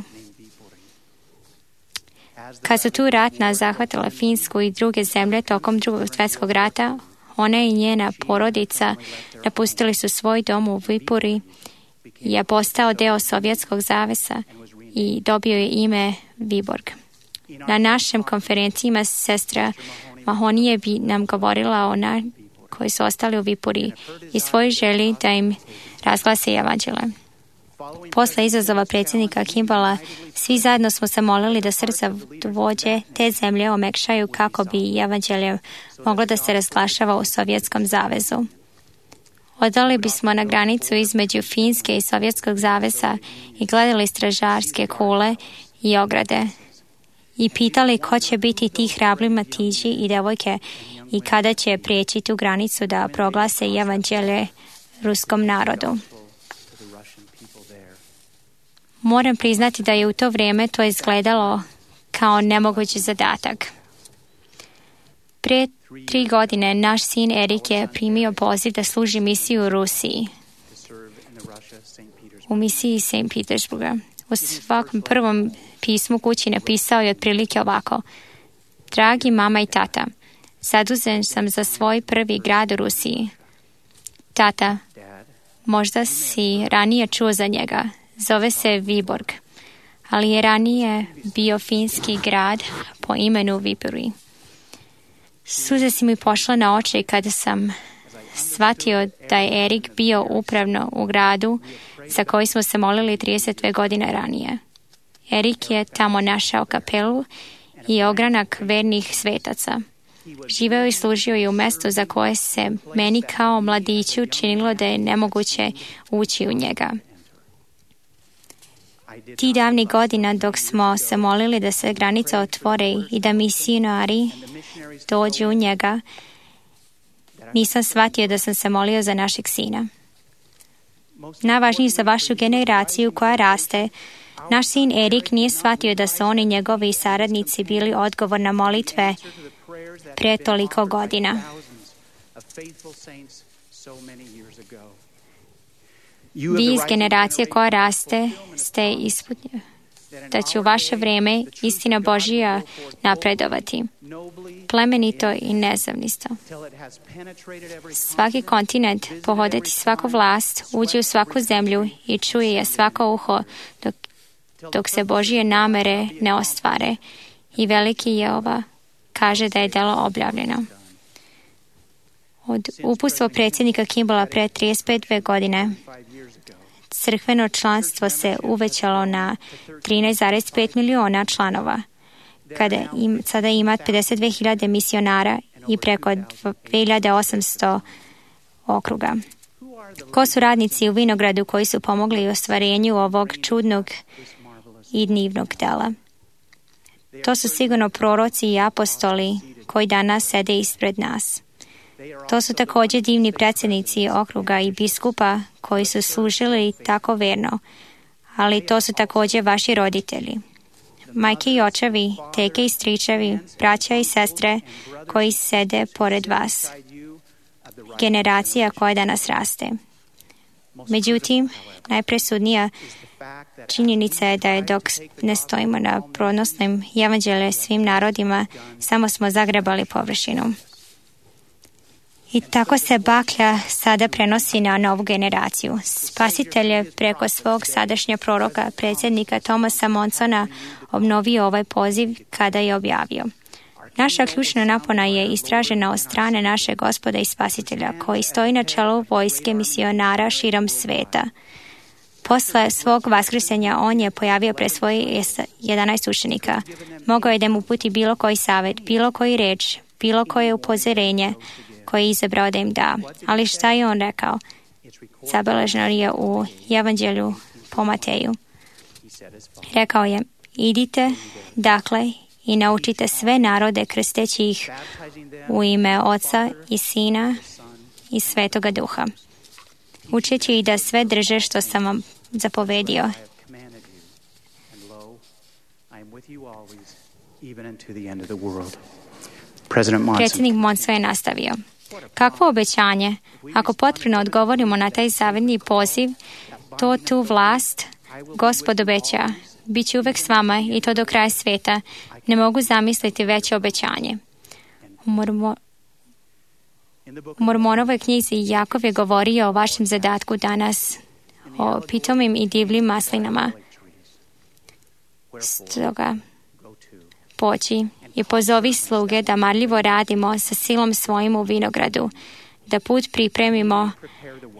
Kad su tu ratna zahvatila Finsku i druge zemlje tokom Drugog svjetskog rata, ona i njena porodica napustili su svoj dom u Viipuri i je postao deo Sovjetskog zavesa i dobio je ime Viborg. Na našim konferencijama sestra Mahonije bi nam govorila o koji su ostali u Viipuri i svoj želji da im razglase evanđele. Posle izazova predsjednika Kimballa, svi zajedno smo se molili da srca vođe te zemlje omekšaju kako bi evanđelje moglo da se razglašava u Sovjetskom zavezu. Odali bismo na granicu između Finske i Sovjetskog zavesa i gledali stražarske kule i ograde i pitali ko će biti ti hrabri mladići i devojke i kada će prijeći tu granicu da proglase evanđelje ruskom narodu. Moram priznati da je u to vrijeme to izgledalo kao nemogući zadatak. Prije 3 godine naš sin Erik je primio poziv da služi misiju u Rusiji, u misiji St. Petersburga. U svakom prvom pismu kući napisao je otprilike ovako: Dragi mama i tata, zadužen sam za svoj prvi grad u Rusiji. Tata, možda si ranije čuo za njega. Zove se Viborg, ali je ranije bio finski grad po imenu Viipuri. Suze si mi pošla na oči kada sam shvatio da je Erik bio upravno u gradu za koji smo se molili 32 godine ranije. Erik je tamo našao kapelu i ogranak vernih svetaca. Živeo i služio je u mjestu za koje se meni kao mladiću činilo da je nemoguće ući u njega. Ti davnih godina dok smo se molili da se granice otvore i da misionari dođu u njega, nisam shvatio da sam se molio za našeg sina. Najvažnije za vašu generaciju koja raste, naš sin Erik nije shvatio da su oni njegovi saradnici bili odgovor na molitve pre toliko godina. Vi iz generacije koja raste ste ispunjeni da će u vaše vrijeme istina Božija napredovati, plemenito i nezavnisto. Svaki kontinent, pohoditi svaku vlast, uđe u svaku zemlju i čuje je svako uho dok se Božije namere ne ostvare i veliki Jehova kaže da je delo objavljeno. Od uputstva predsjednika Kimballa pre 35 godine crkveno članstvo se uvećalo na 13,5 miliona članova, kada sada ima 52.000 misionara i preko 2.800 okruga. Ko su radnici u vinogradu koji su pomogli u ostvarenju ovog čudnog i divnog dela? To su sigurno proroci i apostoli koji danas sede ispred nas. To su također divni predsjednici okruga i biskupa koji su služili tako verno, ali to su također vaši roditelji. majke i očevi, teke i stričevi, braća i sestre koji sede pored vas, generacija koja danas raste. Međutim, najpresudnija činjenica je da dok ne stojimo na pronosnim evanđelje svim narodima, samo smo zagrebali površinu. I tako se baklja sada prenosi na novu generaciju. Spasitelj je preko svog sadašnjeg proroka, predsjednika Thomasa Monsona, obnovio ovaj poziv kada je objavio: naša ključna napona je istražena od strane našeg Gospoda i Spasitelja, koji stoji na čelu vojske misionara širom sveta. Posle svog vaskrsenja on je pojavio pred svojih 11 učenika. Mogao je da mu uputi bilo koji savjet, bilo koji reč, bilo koje upozorenje koje je izabrao da im da. Ali šta je on rekao? Zabeleženo je u evanđelju po Mateju. Rekao je: idite, dakle, i naučite sve narode krsteći ih u ime Oca i Sina i Svetoga Duha, učeći ih da sve drže što sam vam zapovedio. Predsjednik Monson je nastavio: kakvo obećanje? Ako potpuno odgovorimo na taj zavidni poziv, tu vlast Gospod obeća: bit će uvek s vama i to do kraja sveta. Ne mogu zamisliti veće obećanje. U Mormonovoj knjizi Jakov je govorio o vašem zadatku danas, o pitomim i divljim maslinama. Stoga poći i pozovi sluge da marljivo radimo sa silom svojim u vinogradu, da put pripremimo,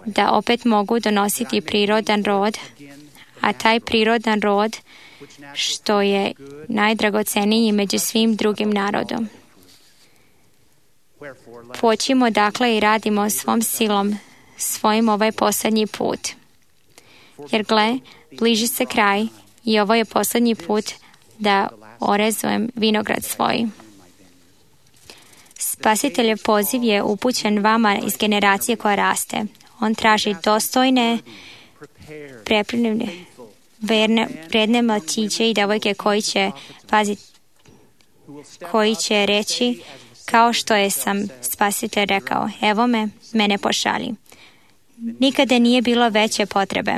da opet mogu donositi prirodan rod, a taj prirodan rod što je najdragoceniji među svim drugim narodom. Počimo dakle i radimo svom silom, svojim ovaj posljednji put. Jer gle, bliži se kraj i ovo je posljednji put da orezujem vinograd svoj. Spasiteljev poziv je upućen vama iz generacije koja raste. On traži dostojne, pripremljene, vredne mladiće i devojke koji će reći kao što je sam Spasitelj rekao: evo me, mene pošalji. Nikada nije bilo veće potrebe.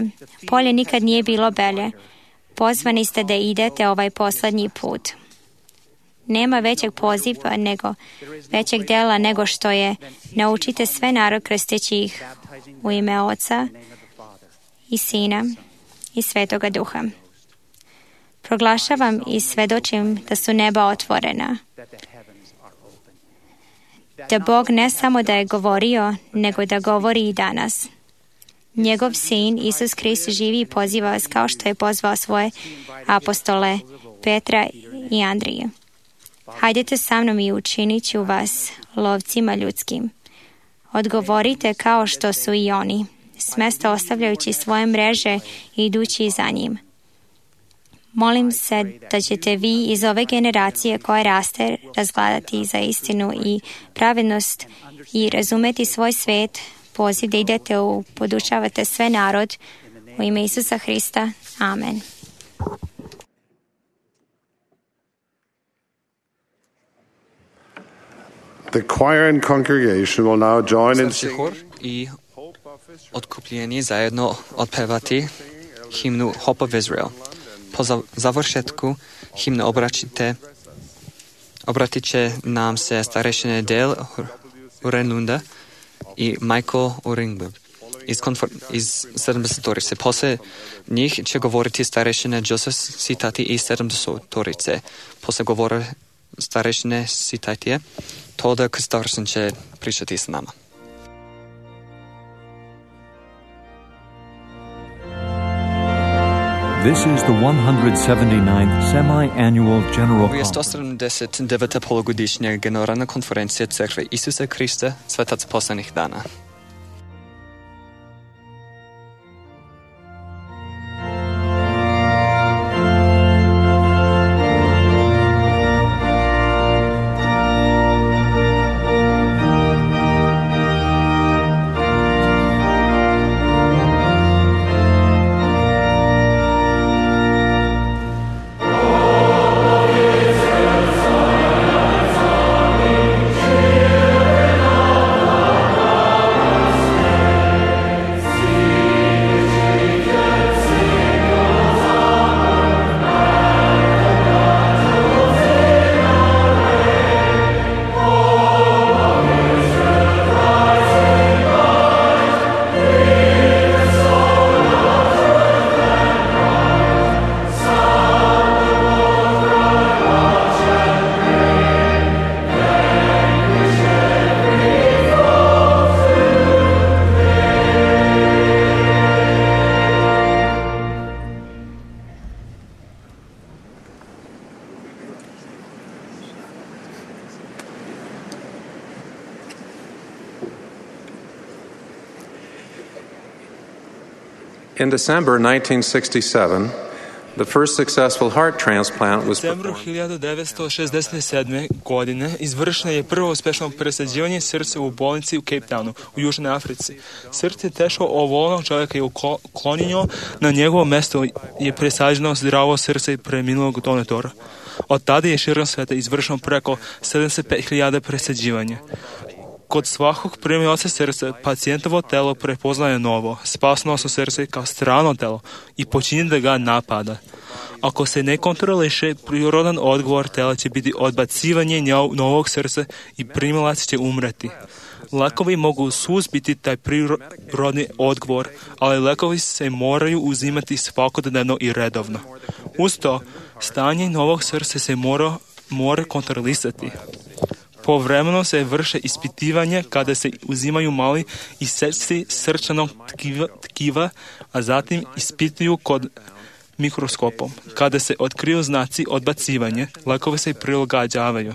Polje nikad nije bilo belje. Pozvani ste da idete ovaj posljednji put. Nema većeg poziva većeg dela nego što je: naučite sve narod krsteći ih u ime Oca i Sina i Svetoga Duha. Proglašavam i svedočim da su neba otvorena. Da Bog ne samo da je govorio, nego da govori i danas. Njegov sin, Isus Krist, živi i poziva vas kao što je pozvao svoje apostole Petra i Andrije. Hajdete sa mnom i učinit ću vas lovcima ljudskim. Odgovorite kao što su i oni, s mesta ostavljajući svoje mreže i idući za njim. Molim se da ćete vi iz ove generacije koja raste razgledati za istinu i pravednost i razumeti svoj svet, poziv da idete podučavate sve narod u ime Isusa Hrista. Amen. The choir and congregation will now join in singing. Hor i otkupljeni zajedno otpevati himnu Hope of Israel. Po završetku himne obratit će nam se starešine Dale Urenunda i Michael Uringberg iz 70-torice. Posle njih će govoriti starešine Joseph Sitati i 70-torice. Posle govore starešine Sitatije, Toda Kristorsen će pričati s nama. This is the 179th semi-annual General Ovo je Conference. 179. polugodišnja generalna konferencija Crkve Isusa Krista, Svetac poslednjih dana. Oh In December 1967, the first successful heart transplant was U decembru 1967. godine izvršeno je prvo uspešno presađivanje srca u bolnici u Cape Townu u Južnoj Africi. Srce teško obolelog čovjeka je uklonjeno, na njegovo mjesto je presađeno zdravo srce preminulog donatora. Od tada je širom sveta izvršeno preko 75.000 presađivanja. Kod svakog primioca srca pacijentovo telo prepoznaje novo, spasnoso srce kao strano telo i počinje da ga napada. Ako se ne kontroliše, prirodan odgovor tela će biti odbacivanje novog srca i primilac će umreti. Lekovi mogu suzbiti taj prirodni odgovor, ali lekovi se moraju uzimati svakodnevno i redovno. Uz to, stanje novog srca se mora kontrolisati. Povremeno se vrše ispitivanja kada se uzimaju mali isečci srčanog tkiva, a zatim ispituju kod mikroskopom. Kada se otkriju znaci odbacivanja, lekovi se prilagođavaju.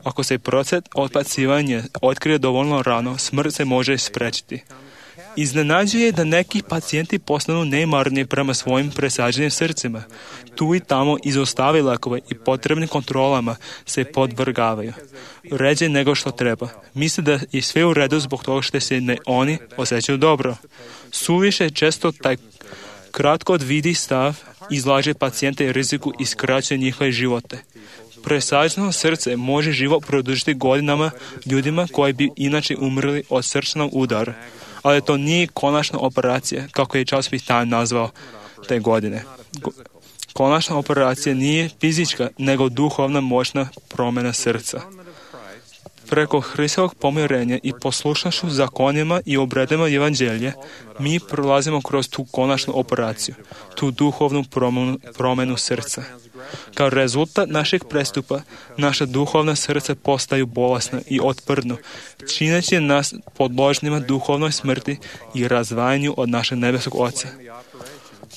Ako se proces odbacivanja otkrije dovoljno rano, smrt se može sprečiti. Iznenađuje da neki pacijenti postanu nemarni prema svojim presađenim srcima. Tu i tamo izostave lekove i potrebnim kontrolama se podvrgavaju. Ređe nego što treba. Misle da je sve u redu zbog toga što se oni osjećaju dobro. Suviše često taj kratkovidi stav izlaže pacijente riziku i skraćuje njihove živote. Presađeno srce može život produžiti godinama ljudima koji bi inače umrli od srčanog udara. Ali to nije konačna operacija, kako je časopis Time nazvao te godine. Konačna operacija nije fizička, nego duhovna moćna promjena srca. Preko Hristovog pomirenja i poslušnošću zakonima i obredima evanđelja, mi prolazimo kroz tu konačnu operaciju, tu duhovnu promjenu srca. Kao rezultat našeg prestupa, naša duhovna srca postaju bolesna i otporna, čineći nas podložnima duhovnoj smrti i razdvajanju od našeg nebeskog Oca.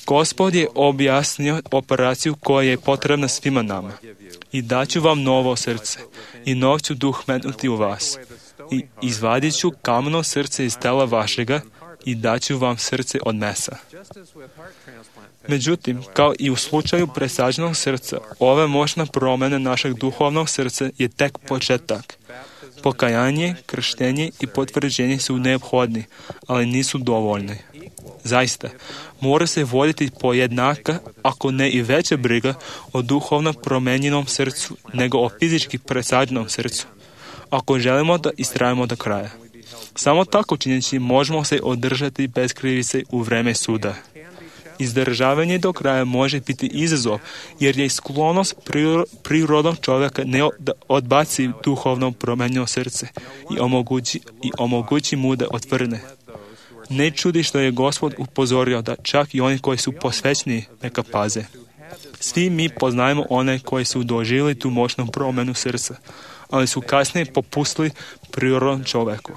Gospod je objasnio operaciju koja je potrebna svima nama. I daću vam novo srce, i nov ću duh metnuti u vas. I izvadit ću kameno srce iz tela vašega, i daću vam srce od mesa. Međutim, kao i u slučaju presađenog srca, ova moćna promjena našeg duhovnog srca je tek početak. Pokajanje, krštenje i potvrđenje su neophodni, ali nisu dovoljni. Zaista, mora se voditi pojednaka, ako ne i veća briga, o duhovno promenjenom srcu, nego o fizički presađenom srcu, ako želimo da istrajemo do kraja. Samo tako činjeći možemo se održati bez krivice u vreme suda. Izdržavanje do kraja može biti izazov, jer je sklonost prirodnog čovjeka da odbaci duhovno promenjeno srce i omogući mu da otvrne. Ne čudi što je Gospod upozorio da čak i oni koji su posvećeni neka paze. Svi mi poznajemo one koji su doživjeli tu moćnu promjenu srca, ali su kasnije popustili prirodnom čovjeku.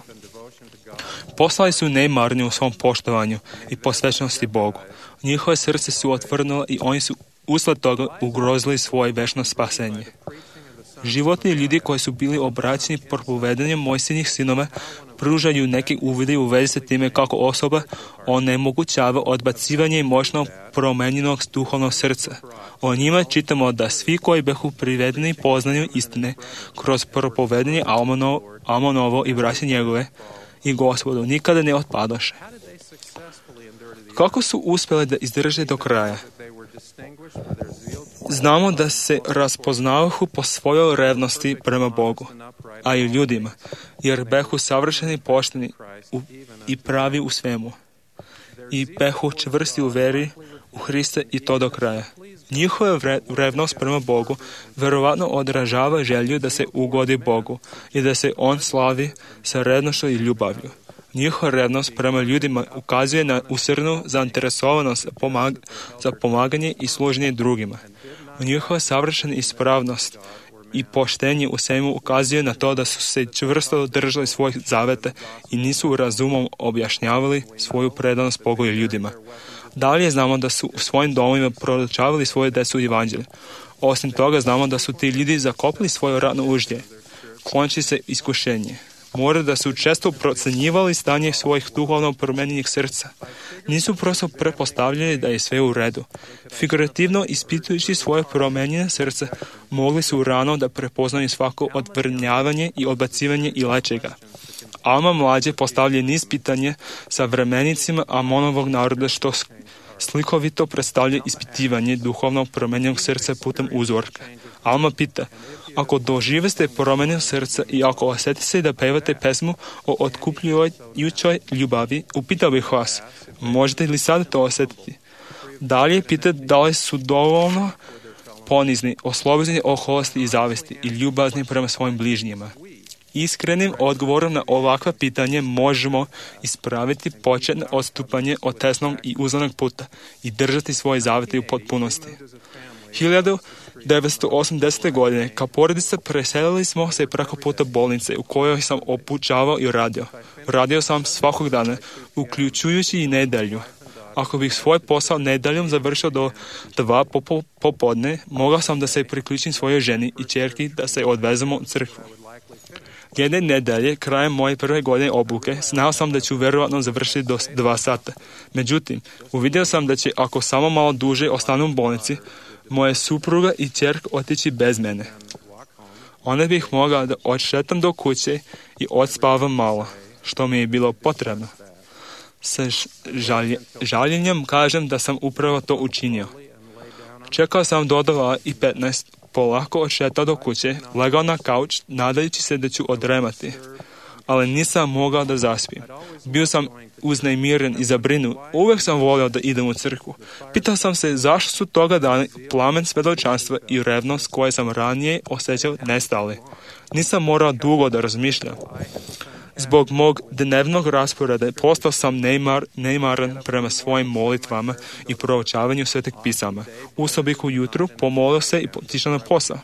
Postali su nemarni u svom poštovanju i posvećenosti Bogu. Njihove srce su otvrnula i oni su usled toga ugrozili svoje večno spasenje. Životni ljudi koji su bili obraćeni propovedanjem Mojsijinih sinova pružaju neke uvide u vezi sa time kako osoba onemogućava odbacivanje moćnog promenjenog duhovnog srca. O njima čitamo da svi koji behu privedeni poznanju istine kroz propovedanje Amonovo i braće njegove i Gospodu nikada ne otpadoše. Kako su uspjeli da izdrže do kraja? Znamo da se raspoznavahu po svojoj revnosti prema Bogu, a i ljudima, jer behu savršeni, pošteni i pravi u svemu. I behu čvrsti u veri u Hrista i to do kraja. Njihova revnost prema Bogu verovatno odražava želju da se ugodi Bogu i da se On slavi sa revnošću i ljubavlju. Njihova revnost prema ljudima ukazuje na usrdnu zainteresovanost za pomaganje i služenje drugima. Njihova savršena ispravnost i poštenje u svemu ukazuje na to da su se čvrsto držali svojih zaveta i nisu razumom objašnjavali svoju predanost Bogu i ljudima. Dalje znamo da su u svojim domovima proučavali svoje decu evanđelje. Osim toga znamo da su ti ljudi zakopili svoje radno uždje, klonči se iskušenje. Mora da su često procenjivali stanje svojih duhovno promenjenih srca. Nisu prosto prepostavljali da je sve u redu. Figurativno ispitujući svoje promenjene srce, mogli su rano da prepoznaju svako odvrnjavanje i odbacivanje i leče ga. Alma mlađe postavlja niz pitanje sa vremenicima Amonovog naroda što slikovito predstavlja ispitivanje duhovno promenjenog srca putem uzorka. Alma pita, ako doživeste promenjeno srca i ako osjeti se da pevate pesmu o otkupljujućoj ljubavi, upitao bih vas, možete li sad to osjetiti? Dalje pita da li su dovoljno ponizni, oslobođeni oholosti i zavesti i ljubazni prema svojim bližnjima. Iskrenim odgovorom na ovakva pitanje možemo ispraviti početno odstupanje od tesnog i uzlanog puta i držati svoje zavete u potpunosti. 1980. godine kao porodica preselili smo se preko puta bolnice u kojoj sam obučavao i radio. Radio sam svakog dana, uključujući i nedjelju. Ako bih svoj posao nedeljom završio do 2 popodne, mogao sam da se priključim svojoj ženi i ćerki da se odvezemo u crkvu. Jedne nedelje, krajem moje prve godine obuke, znao sam da ću vjerovatno završiti do 2 sata. Međutim, uvidio sam da će, ako samo malo duže ostanu u bolnici, moja supruga i ćerka otići bez mene. Onda bih mogao da odšetam do kuće i odspavam malo, što mi je bilo potrebno. Sa žaljenjem kažem da sam upravo to učinio. Čekao sam do 2:15, polako odšetao do kuće, legao na kauč, nadajući se da ću odremati. Ali nisam mogao da zaspim. Bio sam uznemiren i zabrinut. Uvijek sam volio da idem u crkvu. Pitao sam se zašto su toga dana plamen svjedočanstva i revnost koje sam ranije osjećao nestali. Nisam morao dugo da razmišljam. Zbog mog dnevnog rasporeda postao sam neimaran prema svojim molitvama i proučavanju svetih pisama. Ustao bih ujutru, pomolio se i otišao na posao.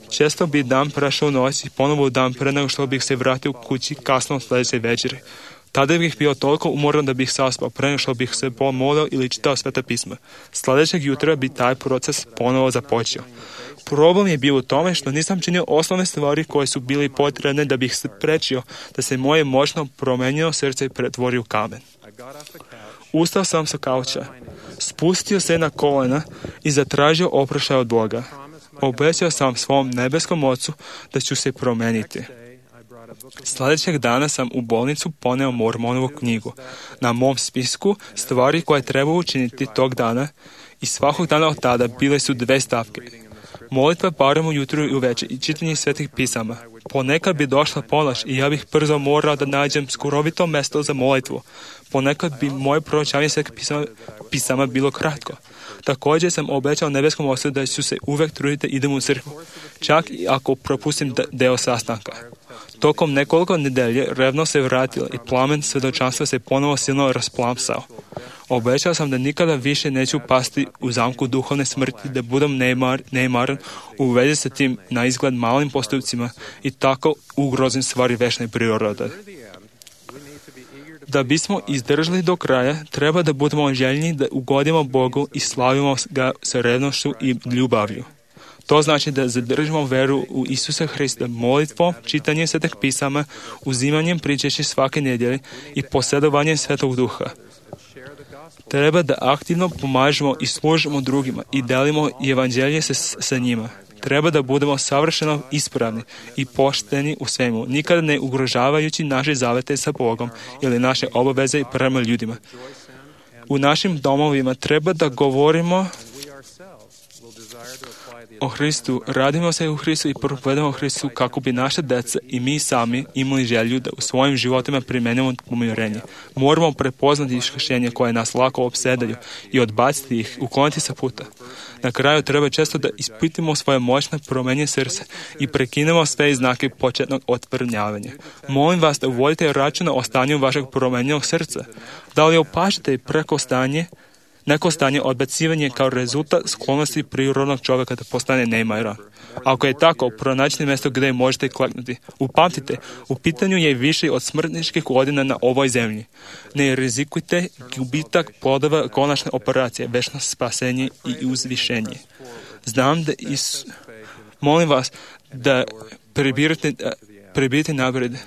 Često bi dan prešao noć i ponovo dan pre nego što bih se vratio kući kasno sljedeće večeri. Tada bih bio toliko umoran da bih saspao pre nego što bih se pomolio ili čitao sveta pisma. Sljedećeg jutra bi taj proces ponovo započeo. Problem je bio u tome što nisam činio osnovne stvari koje su bili potrebne da bih sprečio da se moje moćno promenjeno srce pretvori u kamen. Ustao sam sa kauča, spustio se na kolena i zatražio oproštaj od Boga. Obećao sam svom nebeskom ocu da ću se promeniti. Sljedećeg dana sam u bolnicu poneo Mormonovu knjigu. Na mom spisku stvari koje treba učiniti tog dana i svakog dana od tada bile su 2 stavke. Molitva barem ujutru i uveče i čitanje svetih pisama. Ponekad bi došla ponoć i ja bih brzo morao da nađem skurovito mesto za molitvu. Ponekad bi moje proučavanje svetih pisama bilo kratko. Također sam obećao nebeskom ocu da ću se uvek truditi da idem u crkvu, čak i ako propustim deo sastanka. Tokom nekoliko nedelje revno se vratila i plamen svjedočanstva se ponovo silno rasplamsao. Obećao sam da nikada više neću pasti u zamku duhovne smrti, da budem neimaran u vezi sa tim na izgled malim postupcima i tako ugrozim stvari večne prirode. Da bismo izdržali do kraja, treba da budemo željni da ugodimo Bogu i slavimo ga sa revnošću i ljubavlju. To znači da zadržimo veru u Isusa Hrista molitvom, čitanjem svetih pisama, uzimanjem pričeći svake nedjelje i posjedovanjem Svetog Duha. Treba da aktivno pomažemo i služimo drugima i delimo evanđelje sa njima. Treba da budemo savršeno ispravni i pošteni u svemu, nikada ne ugrožavajući naše zavete sa Bogom ili naše obaveze prema ljudima. U našim domovima treba da govorimo o Hristu, radimo se u Hristu i propovedamo Hristu kako bi naša deca i mi sami imali želju da u svojim životima primenimo pomirenje. Moramo prepoznati iskušenja koje nas lako opsedaju i odbaciti ih, ukloniti sa puta. Na kraju treba često da ispitimo svoje moćne promenje srca i prekinemo sve znake početnog otvrnjavanja. Molim vas da uvodite računa o stanju vašeg promenjenog srca. Da li opažate neko stanje odbacivanje kao rezultat sklonosti prirodnog čovjeka da postane neimaran. Ako je tako, pronađite mjesto gdje možete kleknuti. Upamtite, u pitanju je više od smrtničkih godina na ovoj zemlji. Ne rizikujte gubitak plodova konačne operacije, večno spasenje i uzvišenje. Znam da molim vas da prebirite napred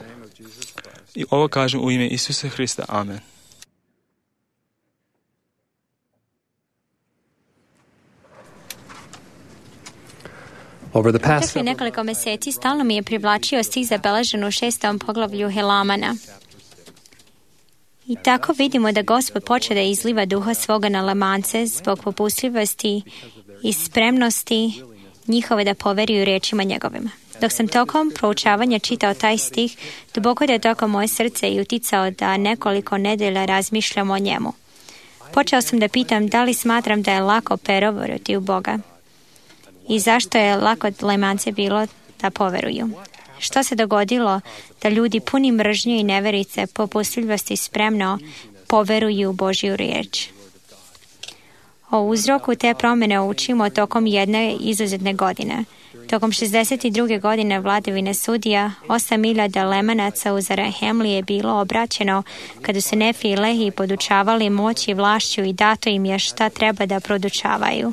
I ovo kažem u ime Isusa Hrista. Amen. Protekli nekoliko meseci stalno mi je privlačio stih zabeležen u 6. poglavlju Helamana. I tako vidimo da Gospod počeo da izliva duha svoga na Lemance zbog popustljivosti i spremnosti njihove da poveruju rečima njegovima. Dok sam tokom proučavanja čitao taj stih, duboko da je tokom moje srce i uticao da nekoliko nedelja razmišljam o njemu. Počeo sam da pitam da li smatram da je lako poverovati u Boga i zašto je lako Lemance bilo da poveruju. Što se dogodilo da ljudi puni mržnje i neverice popustljivosti spremno poveruju u Božju riječ? O uzroku te promjene učimo tokom jedne izuzetne godine. Tokom 62. godine vladavine sudija, 8.000 Lemanaca u Zarahemli je bilo obraćeno kada su Nefi i Lehi podučavali moći i vlašću i dato im je šta treba da produčavaju.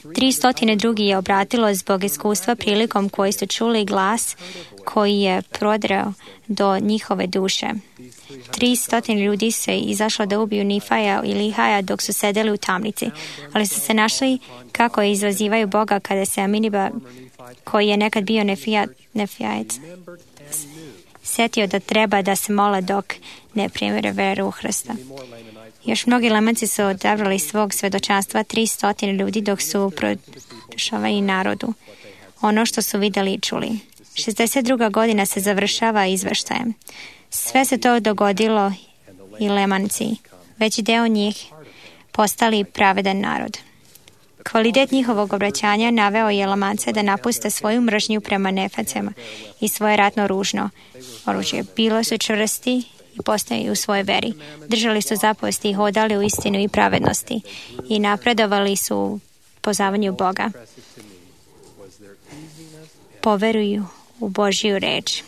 300 drugi je obratilo zbog iskustva prilikom koji su čuli glas koji je prodrao do njihove duše. 300 ljudi se izašlo da ubiju Nifaja i Lihaja dok su sedeli u tamnici, ali su se našli kako izazivaju Boga kada se Aminiba, koji je nekad bio Nefijac, setio da treba da se mole dok ne primire veru u Hrista. Još mnogi Lemanci su odabrali svog svedočanstva 300 ljudi dok su produšavali narodu ono što su vidjeli i čuli. 62. godina se završava izveštajem. Sve se to dogodilo i Lemanci, veći deo njih postali pravedan narod. Kvalitet njihovog obraćanja naveo je Lemance da napuste svoju mržnju prema Nefacima i svoje ratno ružno oružje. Bilo su čvrsti i postali u svojoj veri. Držali su zapovesti i hodali u istinu i pravednosti i napredovali su u poznavanju Boga. Poveruju u Božju reč.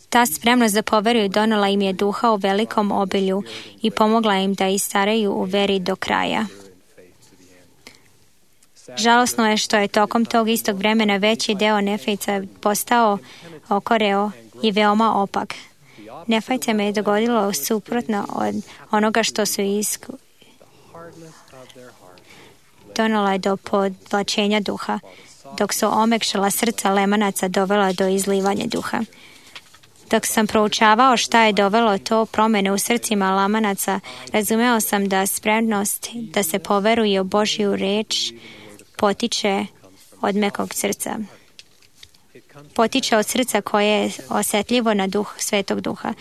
Ta spremnost da poveruju donela im je duha u velikom obilju i pomogla im da istaraju u veri do kraja. Žalosno je što je tokom tog istog vremena veći deo Nefajca postao okoreo i veoma opak. Nefajcima je dogodilo suprotno od onoga što su donela je do podvlačenja duha, dok su omekšala srca Lemanaca dovela do izlivanja duha. Dok sam proučavao šta je dovelo to promjene u srcima Lemanaca, razumeo sam da spremnost da se poveruje u Božju reč potiče od mekog srca. Potiče od srca koje je osjetljivo na duh Svetog Duha.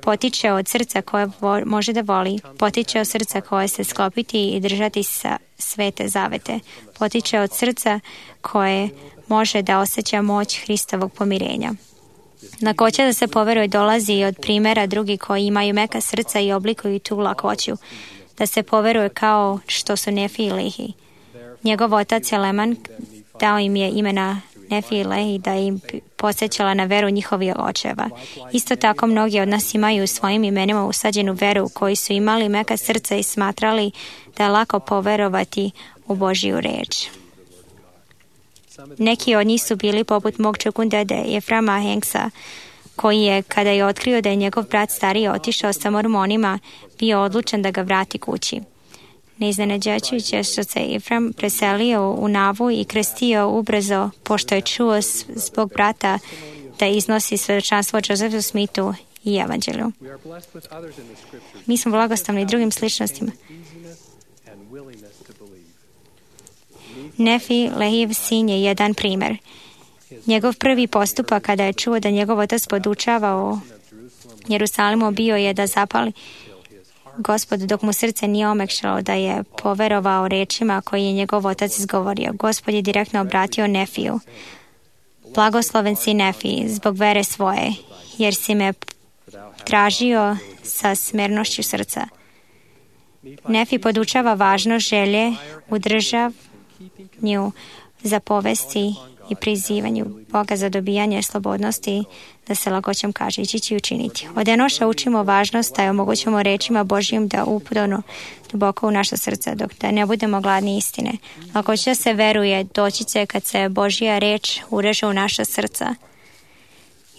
Potiče od srca koje može da voli. Potiče od srca koje se sklopiti i držati sa svete zavete. Potiče od srca koje može da osjeća moć Hristovog pomirenja. Lakoća da se poveruje dolazi i od primjera drugi koji imaju meka srca i oblikuju tu lakoću. Da se poveruje kao što su Nefi i Lehi. Njegov otac je Leman, dao im je imena Nefi i Lehi da im podsjećala na veru njihovih očeva. Isto tako mnogi od nas imaju u svojim imenima usađenu veru koji su imali meka srca i smatrali da je lako poverovati u Božju reč. Neki od njih su bili poput mog čukundede Eframa Henksa, koji je, kada je otkrio da je njegov brat stariji otišao sa mormonima, bio odlučan da ga vrati kući. Neiznenađujuće što se Efram preselio u Navu i krstio ubrzo, pošto je čuo zbog brata da iznosi svedočanstvo Josefu Smithu i evanđelju. Mi smo blagostavni drugim sličnostima. Nefi, Lehijev sin, je jedan primjer. Njegov prvi postupak kada je čuo da njegov otac podučava u Jerusalimu bio je da zapali Gospod, dok mu srce nije omekšalo, da je poverovao rečima koje je njegov otac izgovorio. Gospod je direktno obratio Nefiju. Blagosloven si Nefi zbog vere svoje, jer si me tražio sa smernošću srca. Nefi podučava važnost želje u državnju zapovesti i prizivanju Boga za dobijanje slobodnosti, da se lakoćom kaže ići će učiniti. Od Enoša učimo važnost da je omogućimo rečima Božjim da upodonu duboko u naša srca, dok da ne budemo gladni istine. Lakoća se veruje, doći će kad se Božja reč ureže u naša srca.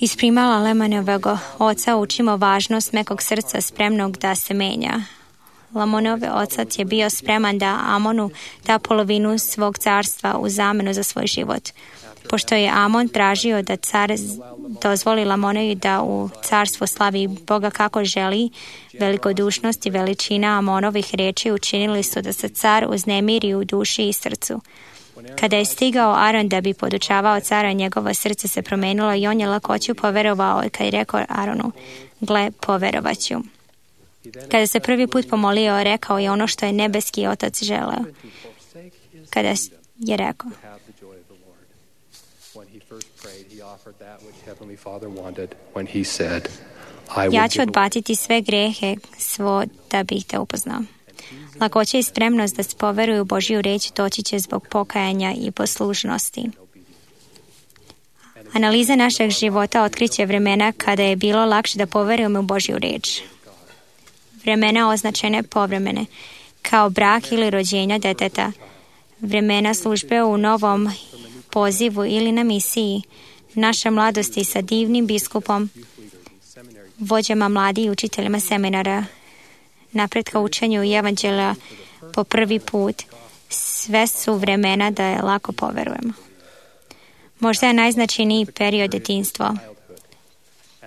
Iz primala Lemanovog oca učimo važnost mekog srca spremnog da se menja. Lamonov otac je bio spreman da Amonu da polovinu svog carstva u zamenu za svoj život. Pošto je Amon tražio da car dozvoli Lamonovi da u carstvu slavi Boga kako želi, velikodušnost i veličina Amonovih riječi učinili su da se car uznemiri u duši i srcu. Kada je stigao Aron da bi podučavao cara, njegovo srce se promenilo i on je lakoću poverovao kad je rekao Aronu, gle, poverovaću. Kada se prvi put pomolio, rekao je ono što je nebeski otac želeo. Kada je rekao, ja ću odbaciti sve grehe svo da bih te upoznao. Lakoća i spremnost da se poveruju u Božju riječ doći će zbog pokajanja i poslušnosti. Analiza našeg života otkriće vremena kada je bilo lakše da poverujemo u Božju riječ. Vremena označene povremene, kao brak ili rođenja deteta, vremena službe u novom pozivu ili na misiji, naše mladosti sa divnim biskupom, vođama mladi i učiteljima seminara, napretka učenju i evanđelja po prvi put, sve su vremena da je lako poverujemo. Možda je najznačajniji period djetinjstva.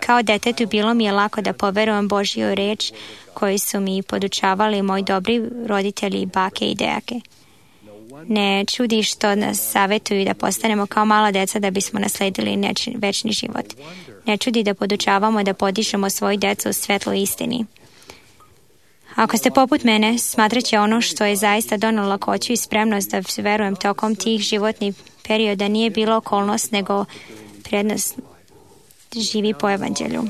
Kao detetu bilo mi je lako da poverujem Božju riječ koju su mi podučavali moji dobri roditelji, bake i dejake. Ne čudi što nas savjetuju da postanemo kao mala deca da bismo nasledili večni život. Ne čudi da podučavamo da podižemo svoju decu u svetlu istini. Ako ste poput mene, smatrat će ono što je zaista donalo lakoću i spremnost da verujem tokom tih životnih perioda nije bilo okolnost, nego prednost živi po evanđelju.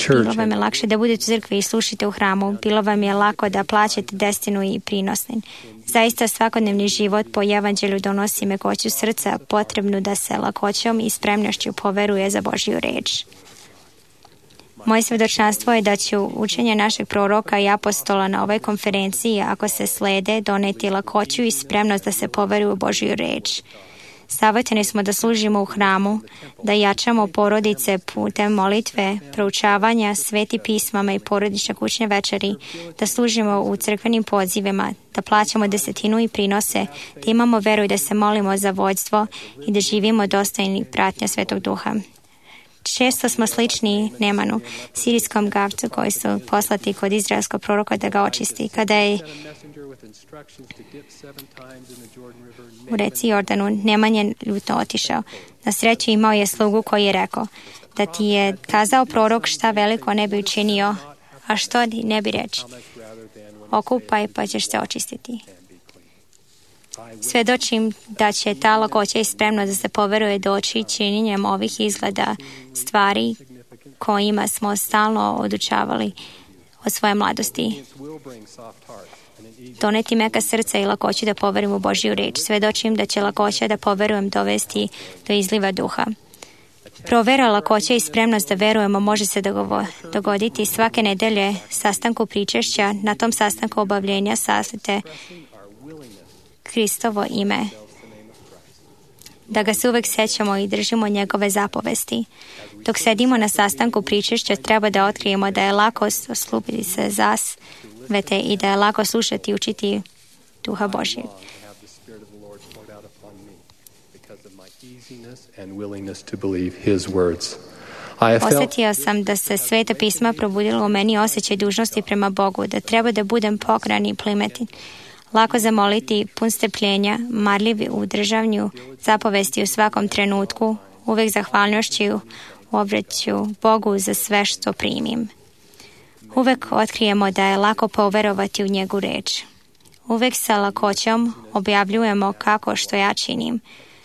Bilo vam je lakše da budete u crkvi i slušite u hramu. Bilo vam je lako da plaćate destinu i prinosnin. Zaista svakodnevni život po evanđelju donosi mekoću srca potrebnu da se lakoćom i spremnošću poveruje za Božju riječ. Moje svjedočanstvo je da će učenje našeg proroka i apostola na ovoj konferenciji, ako se slede, doneti lakoću i spremnost da se poveruje u Božju riječ. Savjetovani smo da služimo u hramu, da jačamo porodice putem molitve, proučavanja sveti pismama i porodične kućne večeri, da služimo u crkvenim pozivima, da plaćamo desetinu i prinose, da imamo veru i da se molimo za vođstvo i da živimo dostojni pratnja Svetog Duha. Često smo slični Nemanu, sirijskom gavcu koji su poslati kod izraelskog proroka da ga očisti. Kada je u reci Jordanu, Neman je ljutno otišao. Na sreću imao je slugu koji je rekao, da ti je kazao prorok šta veliko ne bi učinio, a što ne bi reći. Okupaj pa ćeš se očistiti. Svjedočim da će ta lakoća i spremnost da se poveruje doći činjenjem ovih izgleda stvari kojima smo stalno odučavali od svoje mladosti. Doneti meka srca i lakoću da poverujem u Božju riječ. Svjedočim da će lakoća da poverujem dovesti do izliva duha. Provera, lakoća i spremnost da verujemo može se dogoditi svake nedelje sastanku pričešća. Na tom sastanku obavljenja saslite Kristovo ime. Da ga se uvek sećamo i držimo njegove zapovesti. Dok sedimo na sastanku pričešća, treba da otkrijemo da je lako osloboditi se zasvete i da je lako slušati i učiti Duha Božjeg. Osjetio sam da se Sveta pisma probudilo u meni osjećaj dužnosti prema Bogu, da treba da budem pokran i plimetin. Lako zamoliti, pun strpljenja, marljiv u državnju zapovesti u svakom trenutku, uvek zahvalnošću obraću Bogu za sve što primim. Uvek otkrijemo da je lako poverovati u njegu reč. Uvek sa lakoćom objavljujemo kako što ja činim,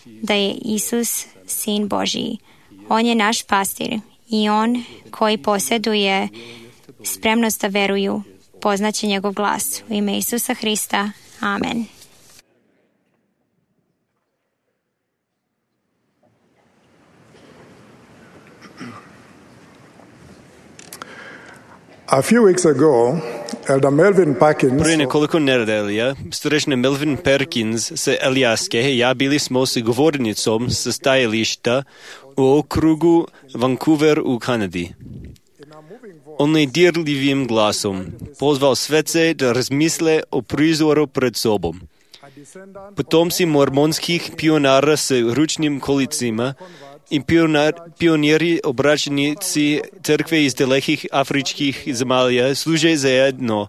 da je Isus Sin Božiji. On je naš pastir i on koji posjeduje spremnost da veruju, poznaće njegov glas. U ime Isusa Hrista. Amen. A few weeks ago, Elder Melvin Parkins Prije nekoliko nedelja starešina Melvin Perkins sa Elijaske ja bili smo s govornicom sa stajališta u okrugu Vancouver u Kanadi. On je dirljivim glasom pozval svece da razmisle o prizoru pred sobom. Potomci mormonskih pionara sa ručnim kolicima i pioniri obraćenici crkve iz dalekih afričkih zemalja služe zajedno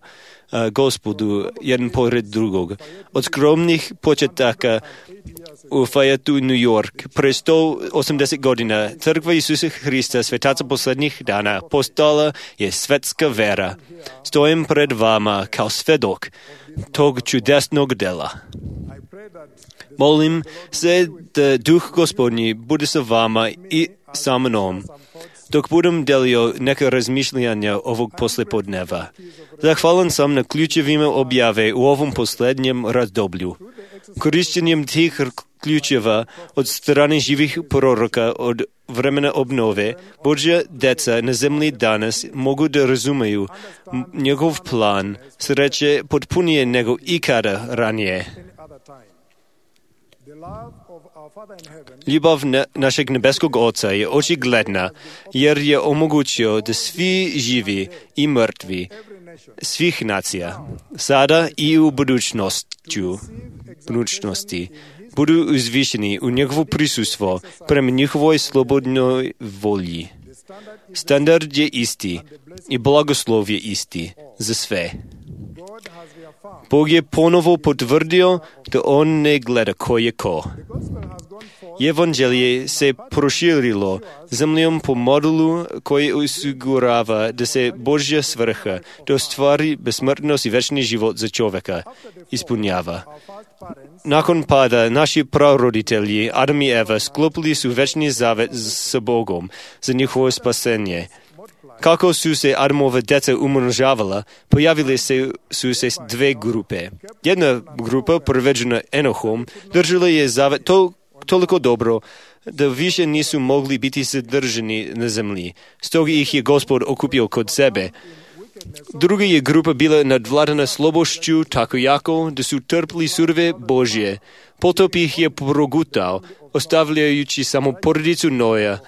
Gospodu jedan pored drugog. Od skromnih početaka u Fayetteu, New York, pre 180 godina crkva Isusa Hrista, svetaca posljednjih dana, postala je svetska vera. Stojim pred vama kao svedok tog čudesnog dela. Molim se da Duh Gospodnji bude sa vama i sa mnom, dok budem delio neka razmišljanja ovog poslijepodneva. Zahvalan sam na ključevima objave u ovom posljednjem razdoblju. Korištenjem tih ključeva od strane živih proroka od vremena obnove, Božja deca na zemlji danas mogu da razumeju njegov plan sreće potpunije nego ikada ranije. Ljubav našeg nebeskog Oca je očigledna, jer je omogućio da svi živi i mrtvi svih nacija, sada i u budućnosti, budu uzvišeni u njegovo prisustvo prema njihovoj slobodnoj volji. Standard je isti i blagoslov je isti za sve. Bog je ponovo potvrdio da on ne gleda ko je ko. Evanđelje se proširilo zemljom po modelu koji osigurava da se Božja svrha da ostvari besmrtnost i večni život za čovjeka ispunjava. Nakon pada naši praroditelji Adam i Eva sklopili su večni zavet sa Bogom za njihovo spasenje. Kako su se Adamova djeca umnožavala, pojavile su se dve grupe. Jedna grupa, predvođena Enohom, držala je zavet toliko dobro da više nisu mogli biti sadržani na zemlji. Stoga ih je Gospod okupio kod sebe. Druga je grupa bila nadvladana slobošću tako jako da su trpili surove Božje. Potop ih je progutao, ostavljajući samo porodicu Noja,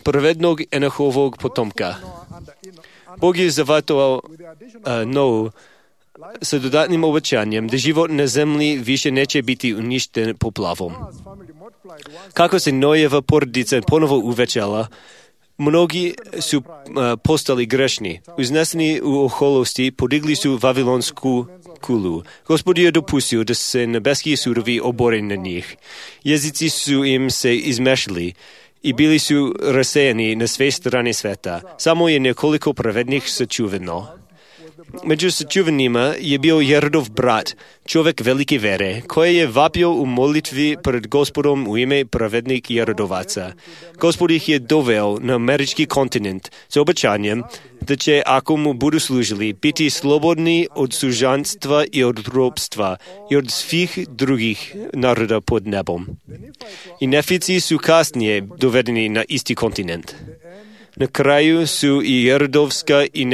pravednog Enohovog potomka. Bog je zavatovao Nou sa dodatnim obećanjem da život na zemlji više neće biti uništen poplavom. Kako se Nojeva porodica ponovo uvećala, mnogi su postali grešni. Uzneseni u oholosti podigli su Vavilonsku kulu. Gospod je dopustio da se nebeski sudovi obore na njih. Jezici su im se izmešali i bili su rasejani na sve strane sveta. Samo je nekoliko pravednih sačuvano. Među sačuvanima je bio Jerodov brat, čovjek velike vere, koji je vapio u molitvi pred Gospodom u ime pravednih Jerodovaca. Gospod ih je doveo na američki kontinent s obećanjem da će, ako mu budu služili, biti slobodni od sužanstva i od ropstva i od svih drugih naroda pod nebom. I Nefici su kasnije dovedeni na isti kontinent. Na kraju su i Jerodovska i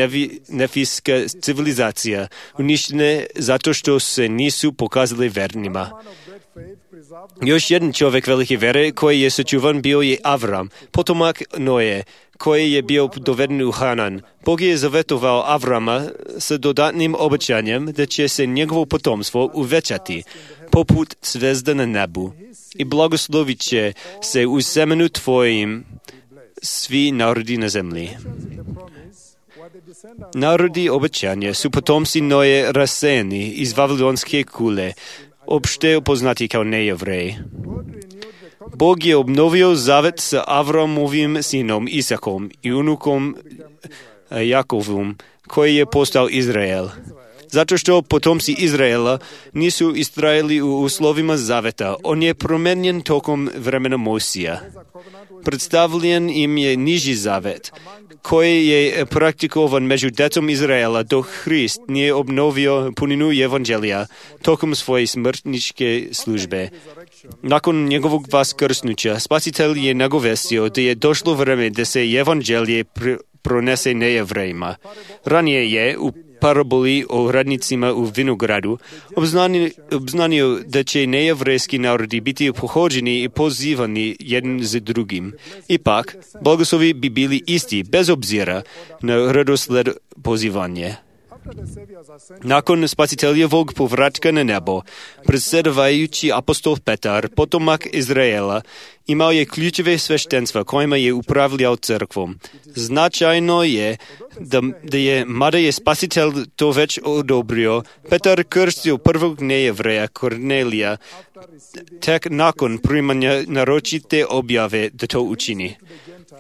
Nefijska civilizacija uništene zato što se nisu pokazali vernima. Još jedan čovjek velike vere koji je sačuvan bio je Avram, potomak Noje, koji je bio doveden u Hanan. Bog je zavetovao Avrama sa dodatnim obećanjem da će se njegovo potomstvo uvećati poput zvezda na nebu i blagoslovit će se u semenu tvojim svi narodi na zemlji. Narodi obećanja su potomci Noje rasejani iz Vavilonske kule, opšte poznati kao nejevreji. Bog je obnovio zavet sa Avramovim sinom Isakom i unukom Jakovom, koji je postao Izrael. Zato što potomci Izraela nisu istrajali u uslovima zaveta, on je promenjen tokom vremena Mojsija. Predstavljen im je niži zavet, koji je praktikovan među djecom Izraela dok Hrist nije obnovio puninu evanđelja tokom svoje smrtničke službe. Nakon njegovog vaskrsnuća, Spasitelj je nagovestio da je došlo vreme da se evanđelje pronese nejevrejima. Ranije je, u paraboli o radnicima u vinogradu, obznanio da će nejevrejski narodi biti pohođeni i pozivani jedan za drugim. Ipak, blagoslovi bi bili isti, bez obzira na redosled pozivanje. Nakon spasiteljevog povratka na nebo, predsjedavajući apostol Petar, potomak Izraela, imao je ključeve sveštenstva kojima je upravljao crkvom. Značajno je da je, mada je spasitelj to već odobrio, Petar krstio prvog nejevreja Kornelija tek nakon primanja naročite objave da to učini.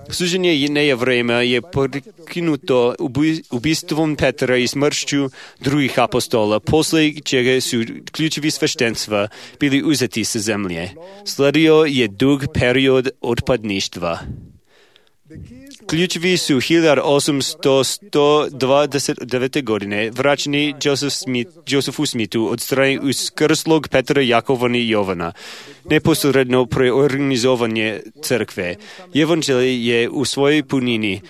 Suđenje nejevrejima je prekinuto ubistvom Petra i smršću drugih apostola, posle čega su ključevi sveštenstva bili uzeti sa zemlje. Sledio je dug period otpadništva. Ključevi su 1829. godine vraćeni Josephu Smithu od strane uskrslog Petra, Jakova i Jovana, neposredno preorganizovanje crkve. Evanđelje je u svojoj punini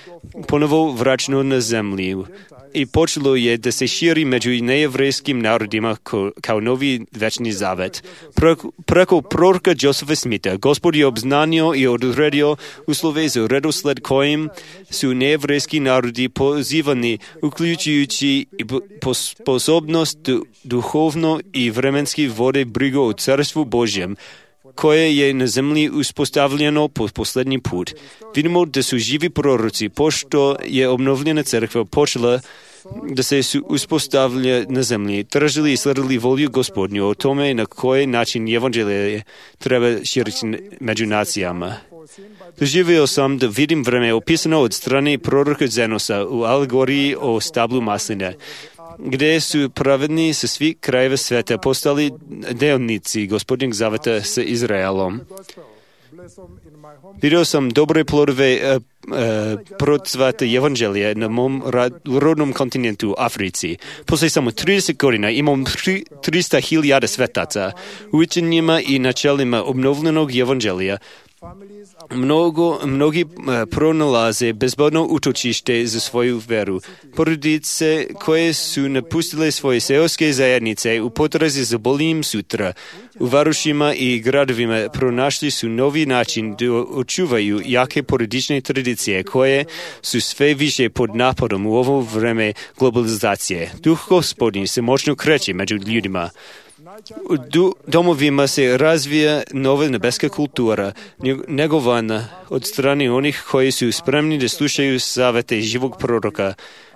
ponovo vraćeno na zemlju i počelo je da se širi među nejevrejskim narodima kao novi večni zavet. Preko proroka Josefa Smitha Gospod je obznanio i odredio uslove za redosled kojim su nejevrejski narodi pozivani, uključujući i sposobnost duhovno i vremenski vode brigu o carstvu Božjem, koje je na zemlji uspostavljeno po posljednji put. Vidimo da su živi proroci, pošto je obnovljena crkva počela da se uspostavlja na zemlji, tražili i sledili volju Gospodnju o tome na koji način evanđelje treba širiti među nacijama. Doživio sam da vidim vreme opisano od strane proroka Zenosa u alegoriji o stablu masline, gdje su pravedni sa svih krajeva sveta postali delnici Gospodnjeg zaveta sa Izraelom. Vidio sam dobre plodove procvata evanđelja na mom rodnom kontinentu, Africi. Poslije samo 30 godina imam 300.000 svetaca u učenjima i načelima obnovljenog evanđelja. Mnogi pronalaze bezbedno utočište za svoju veru. Porodice koje su napustile svoje seoske zajednice u potrazi za boljim sutra, u varošima i gradovima pronašli su novi način da očuvaju jake porodične tradicije koje su sve više pod napadom u ovo vreme globalizacije. Duh Gospodnji se moćno kreće među ljudima. U domovima se razvija nova nebeska kultura, negovana od strane onih koji su spremni da slušaju savete živog proroka,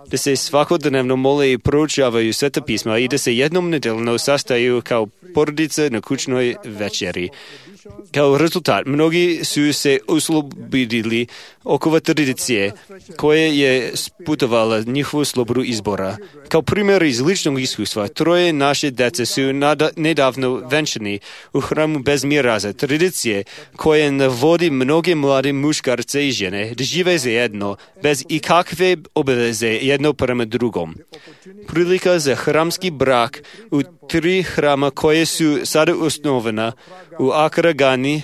da se svakodnevno mole i proučavaju sveta pisma i da se jednom nedeljno sastaju kao porodice na kućnoj večeri. Kao rezultat, mnogi su se oslobodili okova tradicije koje je sputovala njihovu slobodu izbora. Kao primjer iz ličnog iskustva, 3 naše dece su nedavno venčani u hramu bez miraza, tradicije koje navodi mnoge mlade muškarce i žene da žive zajedno, bez ikakve obaveze jedno prema drugom. Prilika za hramski brak u 3 hrama koje su sada osnovana u Accra, Gani,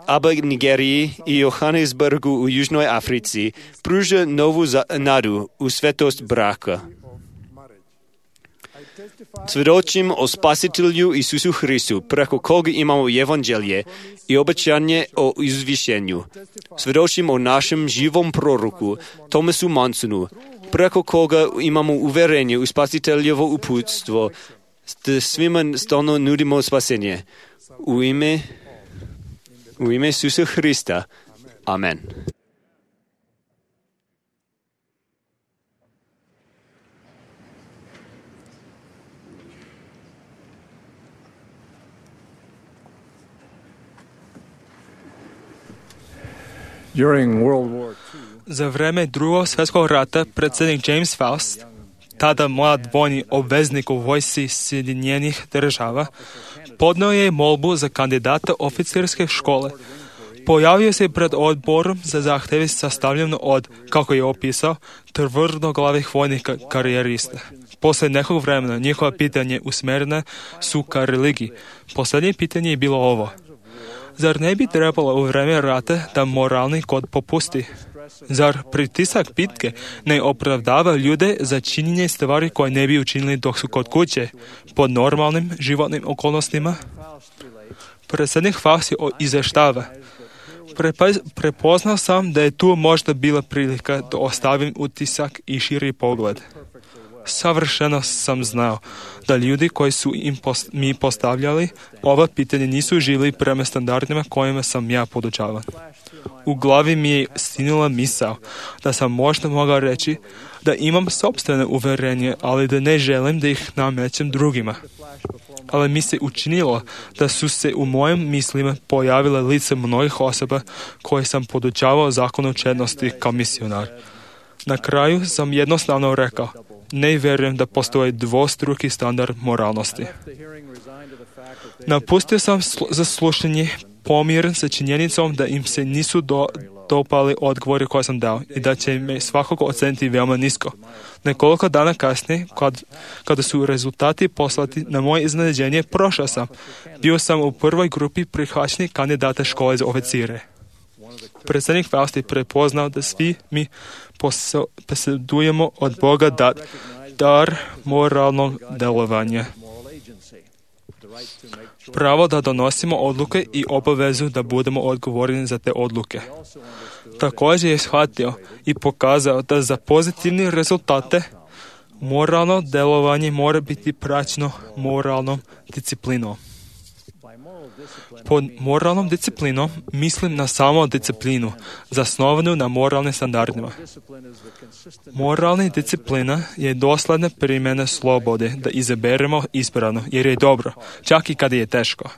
Aba, Nigeriji i Johannesburgu u Južnoj Africi pruža novu nadu u svetost braka. Svjedočim o Spasitelju Isusu Hristu, preko koga imamo evanđelje i obećanje o izvišenju. Svjedočim o našem živom proroku, Thomasu Mansonu, preko koga imamo uverenje u Spasiteljevo uputstvo, da svima stalno nudimo spasenje. U ime Isusa Hrista. Amen. Za vreme Drugog svjetskog rata predsjednik James Faust, tada mlad vojni obveznik u vojsci Sjedinjenih država, podnio je molbu za kandidata oficirske škole. Pojavio se pred odborom za zahtjeve sastavljeno od, kako je opisao, tvrdoglavih vojnih karijerista. Poslije nekog vremena njihova pitanje usmjerene su ka religiji. Posljednje pitanje je bilo ovo. Zar ne bi trebalo u vreme rata da moralni kod popusti? Zar pritisak bitke ne opravdava ljude za činjenje stvari koje ne bi učinili dok su kod kuće, pod normalnim životnim okolnostima? Predsjednik Faust izvještava: prepoznao sam da je tu možda bila prilika da ostavim utisak i širi pogled. Savršeno sam znao da ljudi koji su mi postavljali ova pitanja nisu živjeli prema standardima kojima sam ja podučavan. U glavi mi je stinula misao da sam možda mogao reći da imam sopstvene uvjerenje, ali da ne želim da ih namećem drugima. Ali mi se učinilo da su se u mojim mislima pojavile lice mnogih osoba koje sam podučavao zakonu čednosti kao misionar. Na kraju sam jednostavno rekao: ne vjerujem da postoji dvostruki standard moralnosti. Napustio sam za slušanje pomiren sa činjenicom da im se nisu dopali odgovori koje sam dao i da će me svakako oceniti veoma nisko. Nekoliko dana kasnije, kada su rezultati poslati na moje iznenađenje, prošao sam. Bio sam u prvoj grupi prihvaćenih kandidata škole za oficire. Predsjednik Faust je prepoznao da svi mi posjedujemo od Boga dar moralnog delovanja. Pravo da donosimo odluke i obavezu da budemo odgovorni za te odluke. Također je shvatio i pokazao da za pozitivne rezultate moralno delovanje mora biti praćeno moralnom disciplinom. Pod moralnom disciplinom mislim na samo disciplinu, zasnovanu na moralnim standardima. Moralna disciplina je dosledna primjena slobode da izaberemo ispravno, jer je dobro, čak i kada je teško.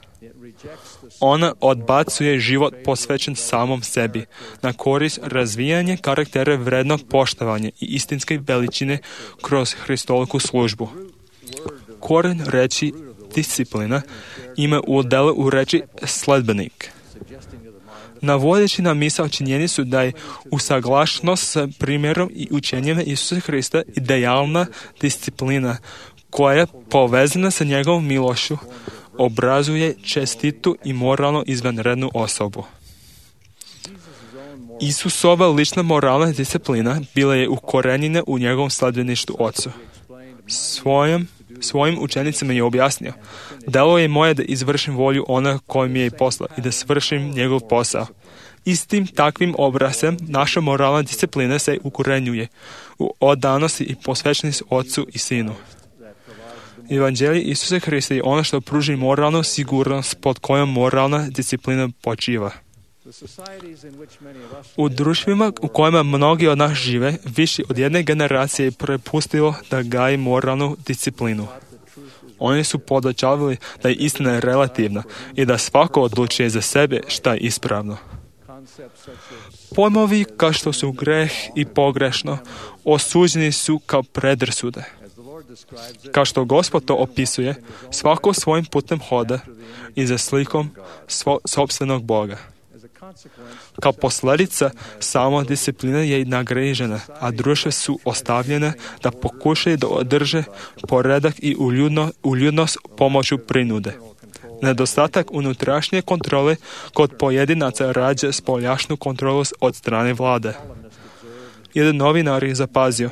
Ona odbacuje život posvećen samom sebi, na korist razvijanja karaktera vrednog poštovanja i istinske veličine kroz Hristoliku službu. Koren reči disciplina ima udjela u reči sledbenik. Navodeći na misao činjenicu da je usaglašenost s primjerom i učenjem Isusa Hrista idealna disciplina koja je povezana sa njegovom milošću, obrazuje čestitu i moralno izvanrednu osobu. Isusova lična moralna disciplina bila je ukorenjena u njegovom sledbeništvu Ocu. Svojim učenicima je objasnio: delo je moje da izvršim volju ona koji mi je poslao i da svršim njegov posao. Istim takvim obrazcem naša moralna disciplina se ukorenjuje u odanosti i posvećenosti Ocu i Sinu. Evanđelje Isusa Hrista je ono što pruži moralnu sigurnost pod kojom moralna disciplina počiva. U društvima u kojima mnogi od nas žive, više od jedne generacije je prepustilo da gaji moralnu disciplinu. Oni su podučavali da je istina relativna i da svako odlučuje za sebe šta je ispravno. Pojmovi kao što su greh i pogrešno osuđeni su kao predrasude. Kao što Gospod to opisuje, svako svojim putem hoda i za slikom sopstvenog Boga. Kao posljedica, sama disciplina je nagrižena, a društva su ostavljena da pokušaju da održe poredak i uljudnost pomoću prinude. Nedostatak unutrašnje kontrole kod pojedinaca rađa spoljašnju kontrolu od strane vlade. Jedan novinar je zapazio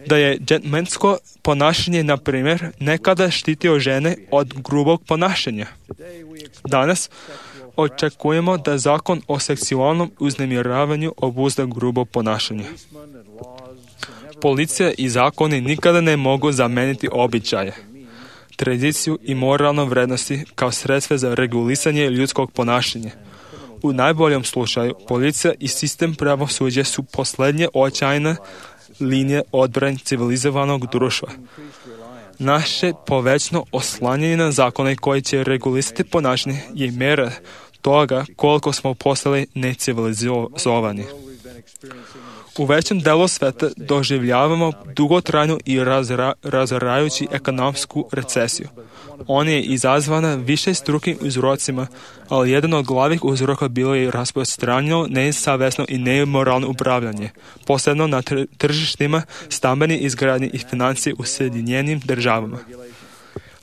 da je džentlmensko ponašanje, na primjer, nekada štitio žene od grubog ponašanja. Danas očekujemo da zakon o seksualnom uznemiravanju obuzda grubo ponašanje. Policija i zakoni nikada ne mogu zameniti običaje, tradiciju i moralne vrednosti kao sredstva za regulisanje ljudskog ponašanja. U najboljem slučaju, policija i sistem pravosuđa su posljednje očajne linije odbrane civilizovanog društva. Naše povećno oslanjanje na zakone koji će regulisati ponašanje je mjera toga koliko smo postali necivilizovani. U većem delu sveta doživljavamo dugotrajnu i razarajuću ekonomsku recesiju. Ona je izazvana višestrukim uzrocima, ali jedan od glavnih uzroka bilo je rasprostranjeno, nesavesno i nemoralno upravljanje, posebno na tržištima stambene izgradnje i financije u Sjedinjenim Državama.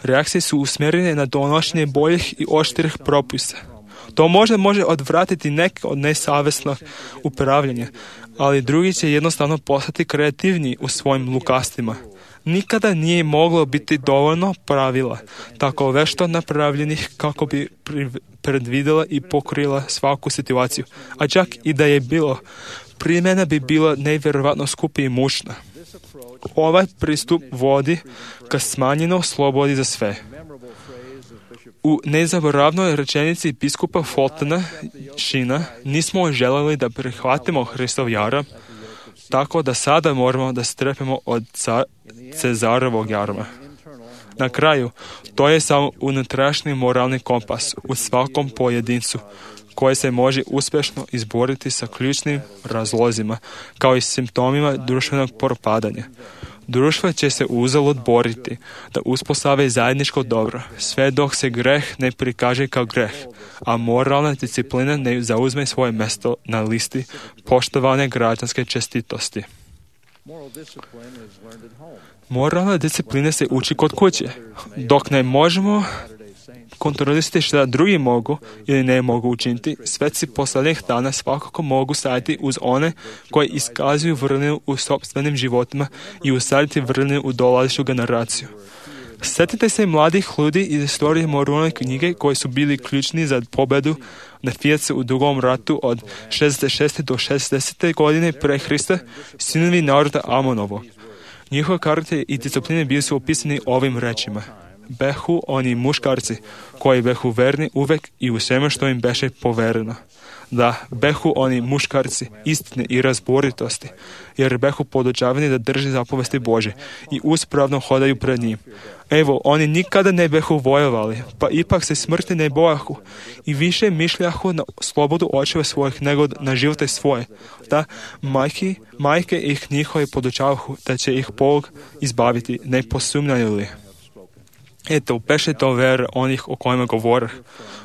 Reakcije su usmjerene na donošenje boljih i oštrih propisa. To možda može odvratiti neke od nesavesnog upravljanja, ali drugi će jednostavno postati kreativniji u svojim lukastima. Nikada nije moglo biti dovoljno pravila, tako vešto napravljenih kako bi predvidjela i pokrila svaku situaciju. A čak i da je bilo, primjena bi bila nevjerovatno skupa i mučna. Ovaj pristup vodi ka smanjenoj slobodi za sve. U nezaboravnoj rečenici biskupa Fultona Sheena nismo željeli da prihvatimo Hristov jaram, tako da sada moramo da strepimo od Cezarovog jarma. Na kraju, to je samo unutrašnji moralni kompas u svakom pojedincu, koji se može uspješno izboriti sa ključnim razlozima, kao i simptomima društvenog propadanja. Društvo će se uzalud boriti da uspostavi zajedničko dobro, sve dok se greh ne prikaže kao greh, a moralna disciplina ne zauzme svoje mjesto na listi poštovane građanske čestitosti. Moralna disciplina se uči kod kuće, dok ne možemo kontrolisati što drugi mogu ili ne mogu učiniti. Sveci posljednjih dana svakako mogu stajati uz one koji iskazuju vrlinu u sopstvenim životima i usaditi vrlinu u dolazeću generaciju. Sjetite se mladih ljudi iz istorije moralne knjige koji su bili ključni za pobjedu na Fijacu u Drugom ratu od 66. do 60. godine pre Hrista, sinovi naroda Amonovog. Njihov karakter i discipline bili su opisani ovim rečima. Behu oni muškarci koji behu verni uvek i u svemu što im beše povereno. Da, behu oni muškarci istine i razboritosti, jer behu podučavani da drži zapovesti Bože i uspravno hodaju pred njim. Evo, oni nikada ne behu vojovali, pa ipak se smrti ne bojahu i više mišljahu na slobodu očeva svojih nego na živote svoje. Da, majke ih njihovi podučavahu da će ih Bog izbaviti, ne posumnjaju li. Eto, beše to vera onih o kojima govore.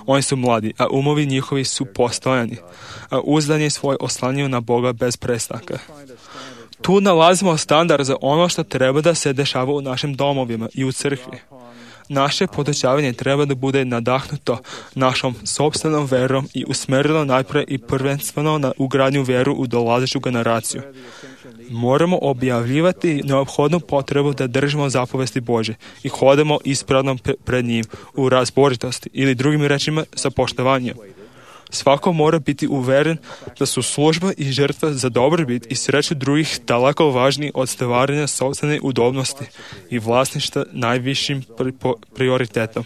Oni su mladi, a umovi njihovi su postojani, a uzdanje svoje oslanjaju na Boga bez prestanka. Tu nalazimo standard za ono što treba da se dešava u našim domovima i u crkvi. Naše podučavanje treba da bude nadahnuto našom sopstvenom verom i usmerilo najpre i prvenstveno na ugradnju veru u dolazeću generaciju. Moramo objavljivati neophodnu potrebu da držimo zapovesti Bože i hodamo ispravno pred njim u razboritosti ili drugim rečima sa poštovanjem. Svako mora biti uveren da su služba i žrtva za dobrobit i sreću drugih daleko važniji od stvaranja sopstvene udobnosti i vlasništva najvišim prioritetom.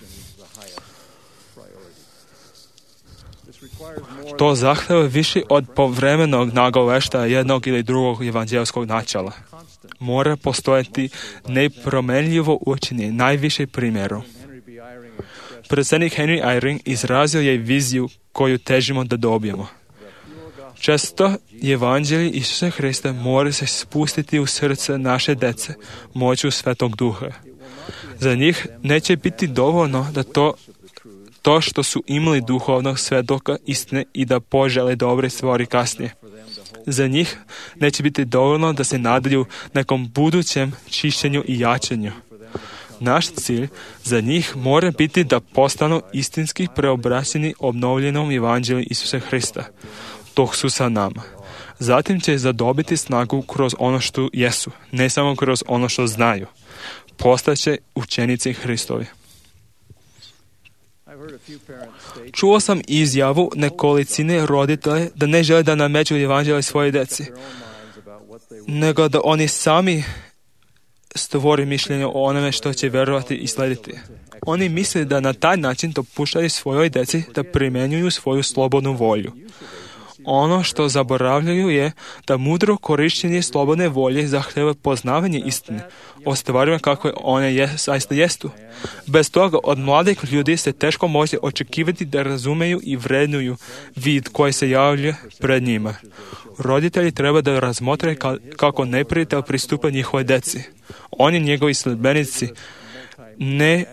To zahteva više od povremenog nagoveštaja jednog ili drugog evanđelskog načela. Mora postojati nepromenljivo učenje najviše primjeru. Predsjednik Henry Eyring izrazio je viziju koju težimo da dobijemo. Često evanđelje Isusa Hrista mora se spustiti u srce naše dece moću Svetog Duha. Za njih neće biti dovoljno da to što su imali duhovnog svjedoka istine i da požele dobre stvari kasnije. Za njih neće biti dovoljno da se nadaju nekom budućem čišćenju i jačanju. Naš cilj za njih mora biti da postanu istinski preobraćeni obnovljenom evanđelju Isusa Hrista, dok su sa nama. Zatim će zadobiti snagu kroz ono što jesu, ne samo kroz ono što znaju. Postaće učenici Hristovi. Čuo sam izjavu nekolicine roditelja da ne žele da nameću evanđelje svoje djeci, nego da oni sami stvori mišljenje o onome što će vjerovati i slediti. Oni misle da na taj način dopuštaju svojoj djeci da primjenjuju svoju slobodnu volju. Ono što zaboravljaju je da mudro korištenje slobodne volje zahtjeva poznavanje istine o stvarima kako one zaista jesu. Bez toga od mladih ljudi se teško može očekivati da razumeju i vrednuju vid koji se javlja pred njima. Roditelji treba da razmotre kako neprijatelj pristupa njihove djeci. Oni, njegovi sledbenici, ne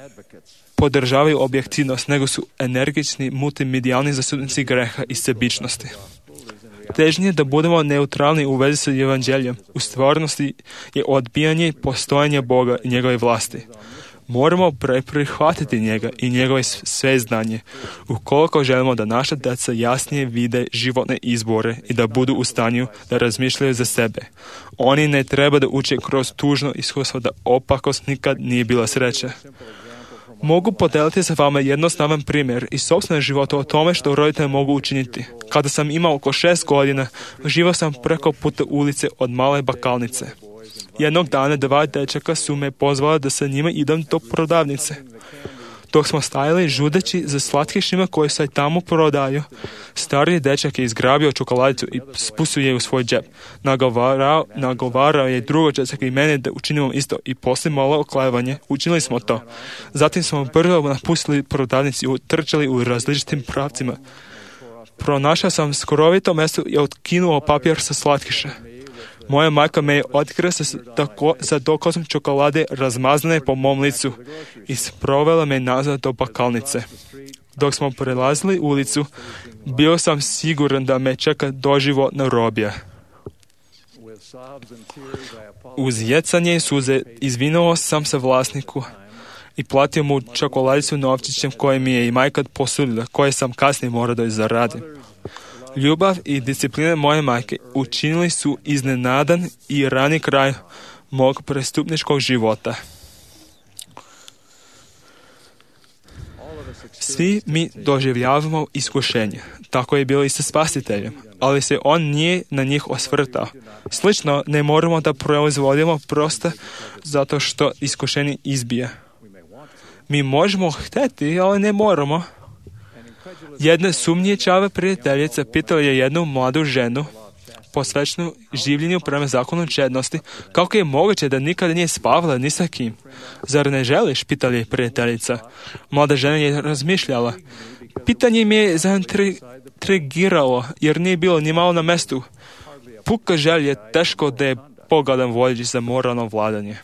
podržavaju objektivnost, nego su energični multimedijalni zastupnici greha i sebičnosti. Težnje da budemo neutralni u vezi sa evanđeljem u stvarnosti je odbijanje postojanja Boga i njegove vlasti. Moramo prihvatiti njega i njegove sveznanje, ukoliko želimo da naša djeca jasnije vide životne izbore i da budu u stanju da razmišljaju za sebe. Oni ne treba da uče kroz tužno iskustvo da opakost nikad nije bila sreća. Mogu podeliti sa vama jednostavan primjer iz sopstvenog života o tome što roditelji mogu učiniti. Kada sam imao oko 6 godina, živio sam preko puta ulice od male bakalnice. Jednog dana 2 dečaka su me pozvala da sa njima idem do prodavnice. Dok smo stajali žudeći za slatkišima koji se tamo prodaju, stariji dečak je izgrabio čokoladicu i spustio je u svoj džep. Nagovarao je drugog dečaka i mene da učinimo isto i poslije malo oklevanje učinili smo to. Zatim smo brzo napustili prodavnicu i trčali u različitim pravcima. Pronašao sam skrovito mjesto i otkinuo papir sa slatkiša. Moja majka me je otkrila sa dokazom čokolade razmazane po mom licu i sprovela me nazad do bakalnice. Dok smo prelazili ulicu, bio sam siguran da me čeka doživotna robija. Uz jecanje i suze izvinuo sam se vlasniku i platio mu čokoladicu novčićem koje mi je i majka posudila, koje sam kasnije morao da zaradim. Ljubav i disciplina moje majke učinili su iznenadan i rani kraj mog prestupničkog života. Svi mi doživljavamo iskušenje. Tako je bilo i sa Spasiteljem, ali se on nije na njih osvrtao. Slično, ne moramo da proizvodimo prosto zato što iskušenje izbija. Mi možemo hteti, ali ne moramo. Jedna sumnjičava prijateljica pitala je jednu mladu ženu, posvećenu življenju prema zakonu čednosti, kako je moguće da nikada nije spavala ni sa kim. Zar ne želiš, pitala je prijateljica. Mlada žena je razmišljala. Pitanje mi je zaintrigiralo, jer nije bilo ni malo na mestu. Puka želja je teško da je pogodan vodič za moralno vladanje.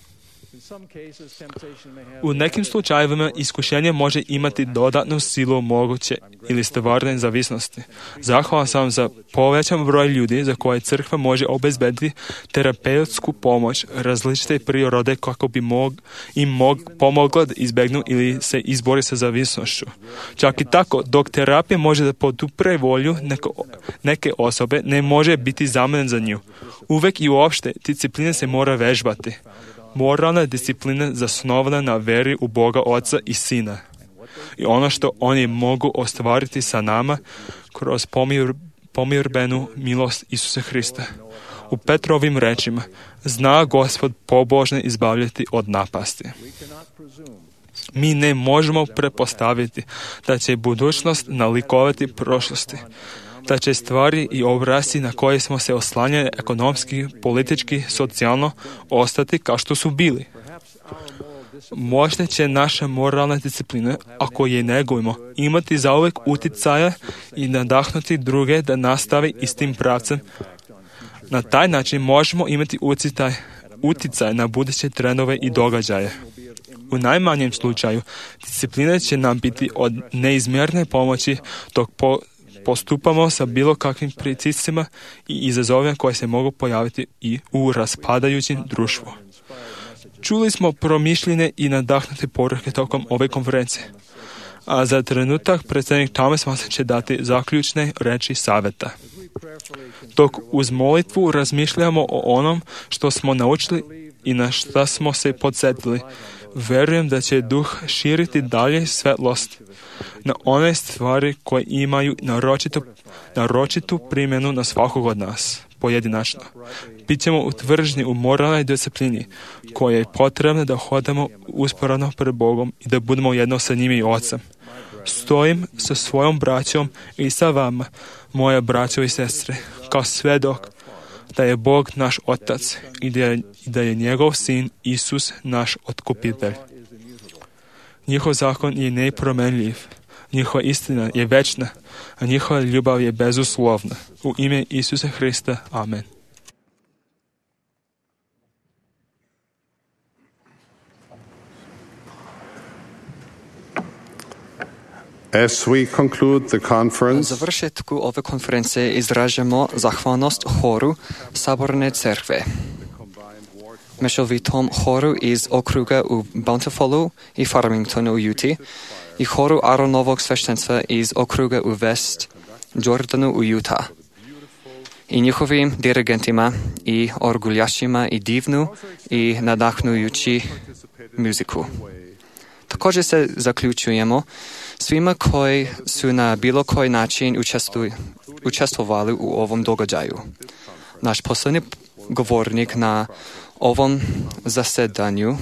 U nekim slučajevima iskušenje može imati dodatnu silu moguće ili stvarne zavisnosti. Zahvalan sam za povećan broj ljudi za koje crkva može obezbediti terapeutsku pomoć različite prirode kako bi pomogla da izbegnu ili se izbori sa zavisnošću. Čak i tako, dok terapija može da podupre volju neke osobe, ne može biti zamenen za nju. Uvek i uopšte disciplina se mora vežbati. Moralna disciplina zasnovana na veri u Boga Oca i Sina. I ono što oni mogu ostvariti sa nama kroz pomirbenu milost Isusa Hrista. U Petrovim rečima, zna Gospod pobožne izbavljati od napasti. Mi ne možemo pretpostaviti da će budućnost nalikovati prošlosti, da će stvari i obrasci na koje smo se oslanjali ekonomski, politički, socijalno ostati kao što su bili. Možda će naša moralna disciplina, ako je negujemo, imati zauvek uticaja i nadahnuti druge da nastavi istim pravcem. Na taj način možemo imati uticaj na buduće trendove i događaje. U najmanjem slučaju, disciplina će nam biti od neizmjerne pomoći dok postupamo sa bilo kakvim pritiscima i izazovima koje se mogu pojaviti i u raspadajućem društvu. Čuli smo promišljene i nadahnute poruke tokom ove konferencije, a za trenutak predsjednik Thomas Manson će dati zaključne reči savjeta. Dok uz molitvu razmišljamo o onom što smo naučili i na šta smo se podsjetili, verujem da će Duh širiti dalje svetlost na one stvari koje imaju naročitu primjenu na svakog od nas, pojedinačno. Bićemo utvrženi u moralnoj disciplini koja je potrebna da hodamo usporano pred Bogom i da budemo jedno sa njim i Ocem. Stojim sa svojom braćom i sa vama, moja braćo i sestre, kao svedok da je Bog naš Otac i da je njegov Sin Isus naš otkupitelj. Njihov zakon je nepromenljiv, njihova istina je večna, a njihova ljubav je bezuslovna. U ime Isusa Hrista. Amen. As we conclude the conference, Na završetku ove konferencije izražamo zahvalnost horu Saborne crkve. mešovitom horu iz okruga u Bountifulu i Farmingtonu u Utah i horu Aronovog sveštenstva iz okruga u West Jordanu u Utah i njihovim dirigentima i orguljašima i divnu i nadahnujući muziku. Također se zaključujemo svima koji su na bilo koji način učestvovali u ovom događaju. Naš posljednji govornik na ovom zasedanju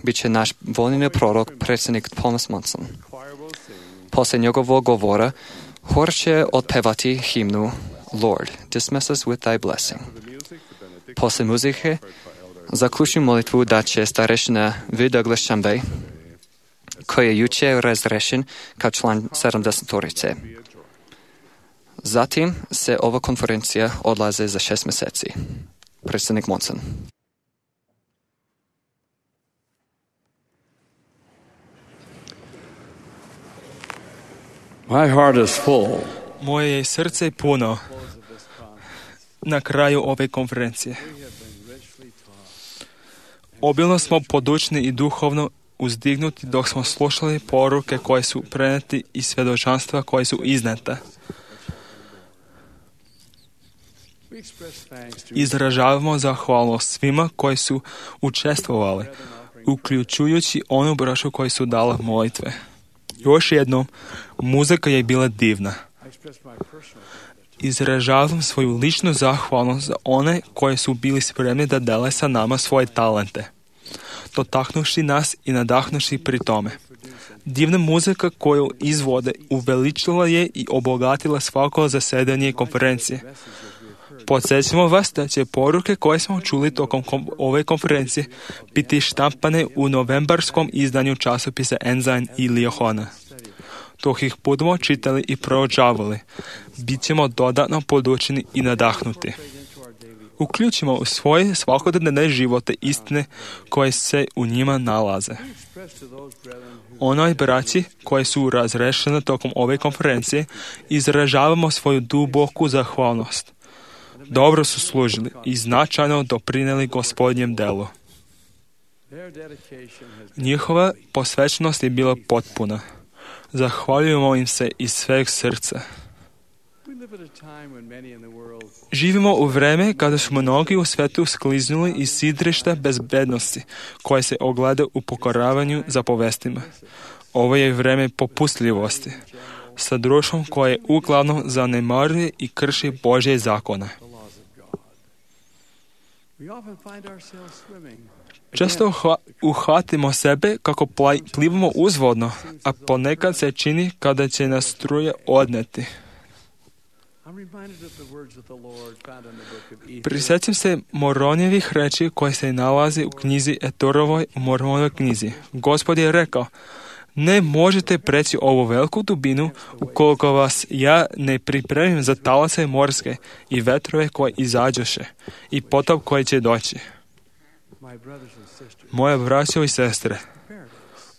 bit će naš voljeni prorok, predsjednik Thomas Monson. Poslije njegovog govora, hor će otpevati himnu Lord, dismiss us with thy blessing. Poslije muzike, zaključujem molitvu da će starešina V. Douglas Chambay, koji je jučer razrešen kao član 70-torice. Zatim se ova konferencija odlaze za 6 mjeseci. Predsjednik Monson. My heart is full. Moje je srce puno na kraju ove konferencije. Obilno smo podučni i duhovno uzdignuti dok smo slušali poruke koje su preneti i svjedočanstva koje su izneta. Izražavamo zahvalnost svima koji su učestvovali, uključujući onu braću koji su dala molitve. Još jednom, muzika je bila divna. Izražavam svoju ličnu zahvalnost za one koji su bili spremni da dele sa nama svoje talente, dotaknuši nas i nadahnuši pri tome. Divna muzika koju izvode uveličila je i obogatila svako zasedanje konferencije. Podsjećamo vas da će poruke koje smo čuli tokom ove konferencije biti štampane u novembarskom izdanju časopisa Ensign i Liahona. Dok ih budemo čitali i proučavali, bit ćemo dodatno podučeni i nadahnuti. Uključimo u svoje svakodnevne živote istine koje se u njima nalaze. Onoj braći koji su razrešeni tokom ove konferencije izražavamo svoju duboku zahvalnost. Dobro su služili i značajno doprinijeli Gospodnjem delu. Njihova posvećenost je bila potpuna. Zahvaljujemo im se iz sveg srca. Živimo u vreme kada su mnogi u svetu skliznuli iz sidrišta bezbednosti, koje se ogleda u pokoravanju zapovestima. Ovo je vreme popustljivosti, sa društvom koje uglavnom zanemaruje i krši Božje zakone. Često uhvatimo sebe kako plivamo uzvodno, a ponekad se čini kada će nas struje odneti. Prisjećam se Moronjevih reči koje se nalazi u knjizi Etorovoj, u Mormonovoj knjizi. Gospod je rekao, ne možete preći ovu veliku dubinu ukoliko vas ja ne pripremim za talase morske i vetrove koje izađoše i potop koji će doći. Moje braćo i sestre,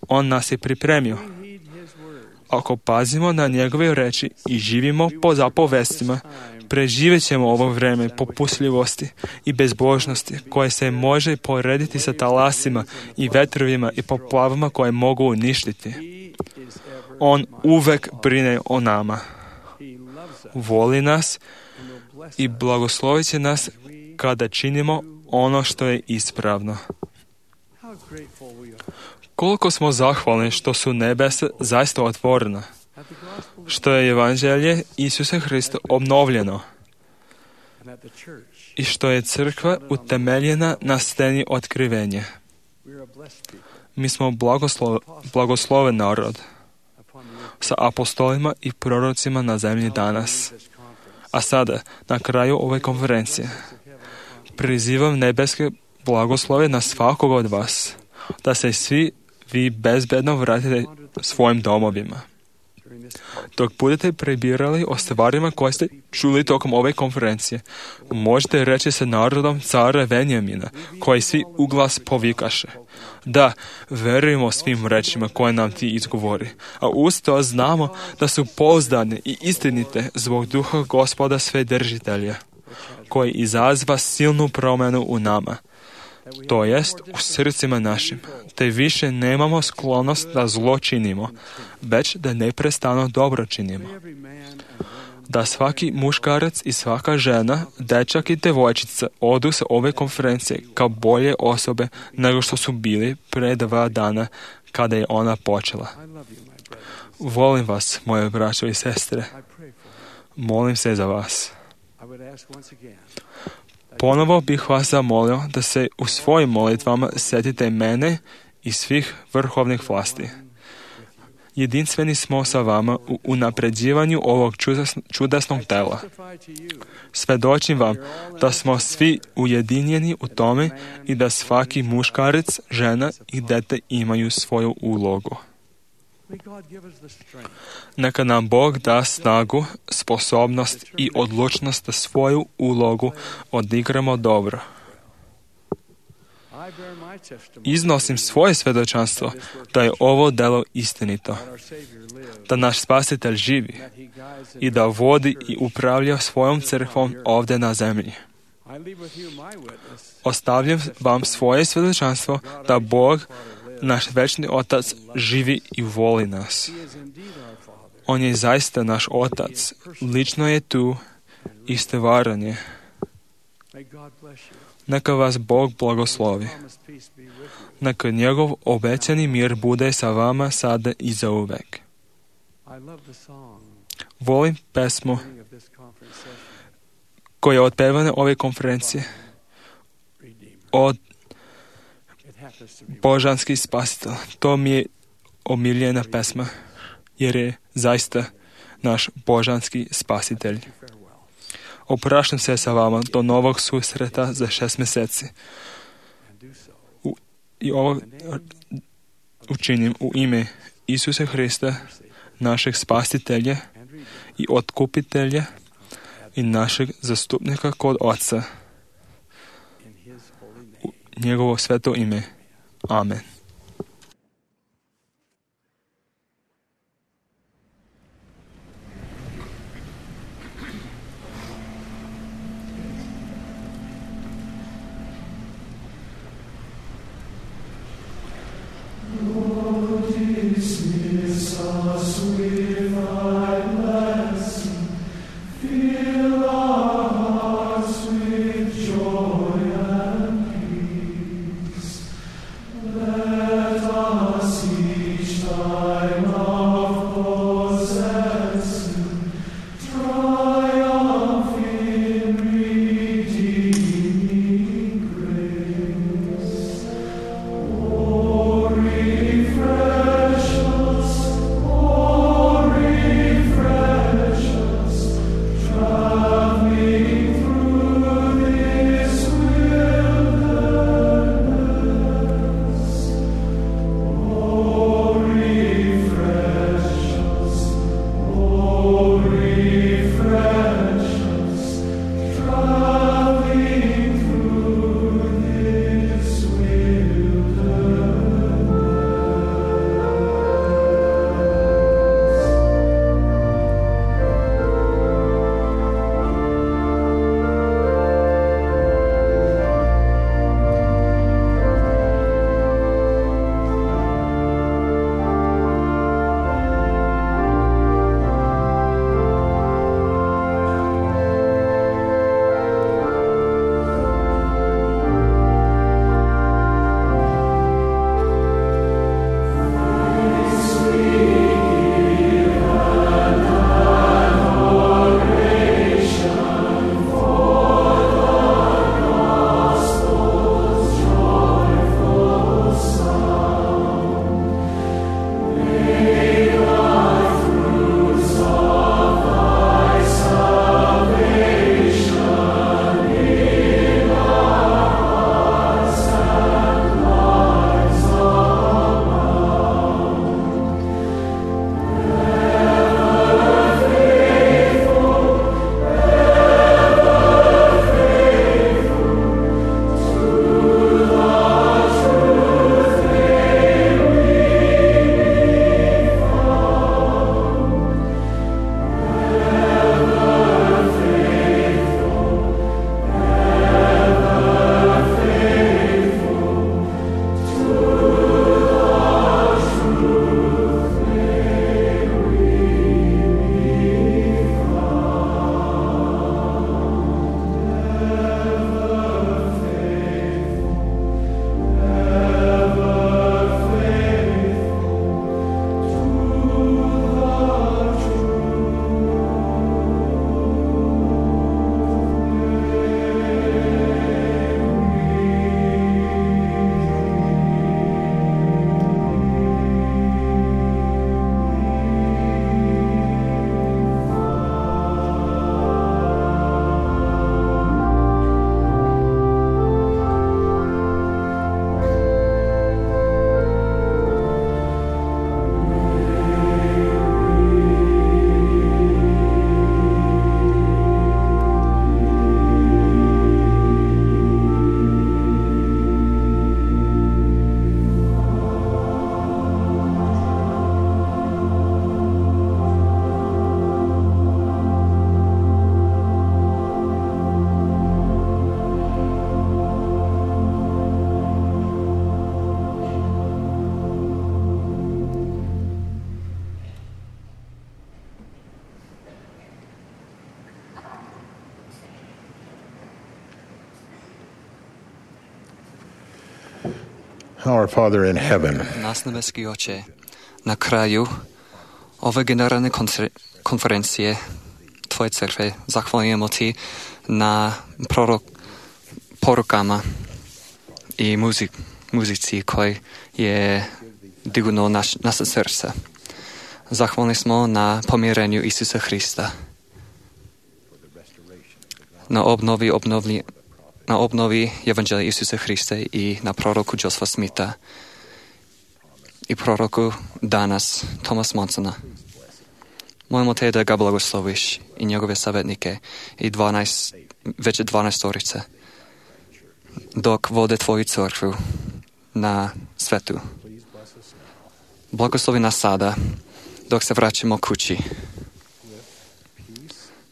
on nas je pripremio. Ako pazimo na njegove reči i živimo po zapovestima, preživjet ćemo ovo vreme popustljivosti i bezbožnosti koje se može porediti sa talasima i vetrovima i poplavama koje mogu uništiti. On uvek brine o nama. Voli nas i blagoslovit će nas kada činimo ono što je ispravno. Koliko smo zahvalni što su nebesa zaista otvorena, što je evanđelje Isusa Hrista obnovljeno i što je crkva utemeljena na steni otkrivenja. Mi smo blagosloven narod sa apostolima i prorocima na zemlji danas. A sada, na kraju ove konferencije, prizivam nebeske blagoslove na svakog od vas, da se svi vi bezbedno vratite svojim domovima. Dok budete prebirali o stvarima koje ste čuli tokom ove konferencije, možete reći sa narodom cara Venjamina, koji svi uglas povikaše. Da, verujemo svim rečima koje nam ti izgovori, a uz to znamo da su pouzdane i istinite zbog duha Gospoda Svedržitelja, koji izazva silnu promjenu u nama. to jest u srcima našim, te više nemamo sklonost da zlo činimo, već da neprestano dobro činimo. Da svaki muškarac i svaka žena, dečak i devojčica odu sa ove konferencije kao bolje osobe nego što su bili pre 2 dana kada je ona počela. Volim vas, moje braćo i sestre. Molim se za vas. Ponovo bih vas zamolio da se u svojim molitvama setite mene i svih vrhovnih vlasti. Jedinstveni smo sa vama u unapređivanju ovog čudesnog tela. Svedočim vam da smo svi ujedinjeni u tome i da svaki muškarac, žena i dete imaju svoju ulogu. Neka nam Bog da snagu, sposobnost i odlučnost da svoju ulogu odigramo dobro. Iznosim svoje svedočanstvo da je ovo delo istinito, da naš Spasitelj živi i da vodi i upravlja svojom crkvom ovdje na zemlji. Ostavljam vam svoje svedočanstvo da Bog, naš večni Otac, živi i voli nas. On je zaista naš Otac, lično je tu i stvaran je. Neka vas Bog blagoslovi. Neka njegov obećani mir bude sa vama sada i zauvek. Volim pesmu koja je otpevana ove konferencije od Božanski spasitelj. To mi je omiljena pesma, jer je zaista naš Božanski spasitelj. Opraštam se sa vama do novog susreta za 6 mjeseci. I ovo učinim u ime Isusa Hrista, našeg spasitelja i otkupitelja i našeg zastupnika kod Oca. U njegovo sveto ime. Amen. Joy and peace. Our Father in heaven, Naš nebeski Oče, na kraju ove generalne konferencije Tvoje crkve zahvaljujemo Ti na porukama i muzici koji je dignuo naše srce. Zahvalni smo na pomirenju Isusa Hrista, na obnovi Evanđelja Isusa Hrista i na proroku Josepha Smitha i proroku danas Thomas Monsona. Molimo Te da ga blagosloviš i njegove savjetnike i već 12 dok vode Tvoju crkvu na svetu. Blagoslovi nas sada dok se vraćamo kući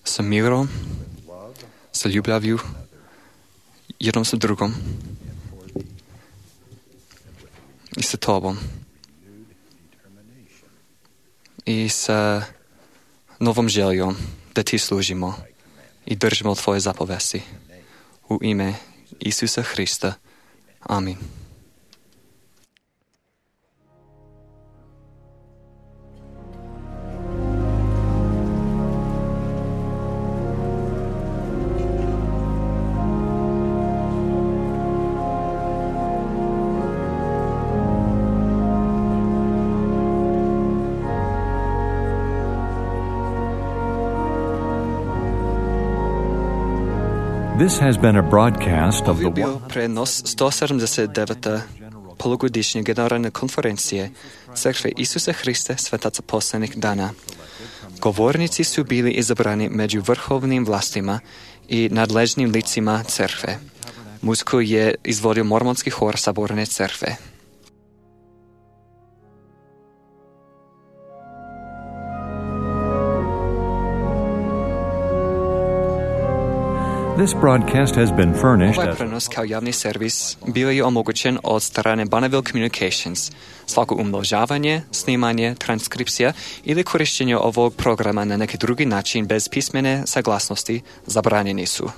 sa mirom, sa ljubavlju jednom sa drugom i sa Tobom i sa novom željom da Ti služimo i držimo Tvoje zapovesti. U ime Isusa Hrista. Amin. This has been a broadcast of Ovo je the bio prenos 179. polugodišnje generalne konferencije Crkve Isusa Hrista Svetaca poslednjih dana. Govornici su bili izabrani među vrhovnim vlastima i nadležnim licima crkve. Muziku je izvodio mormonski hor Saborne crkve. This broadcast has been furnished Ovaj as prenos kao javni servis bio je omogućen od strane Bonneville Communications. Svako umnožavanje, snimanje, transkripcija ili korištenje ovog programa na neki drugi način bez pismene saglasnosti zabranjeni su.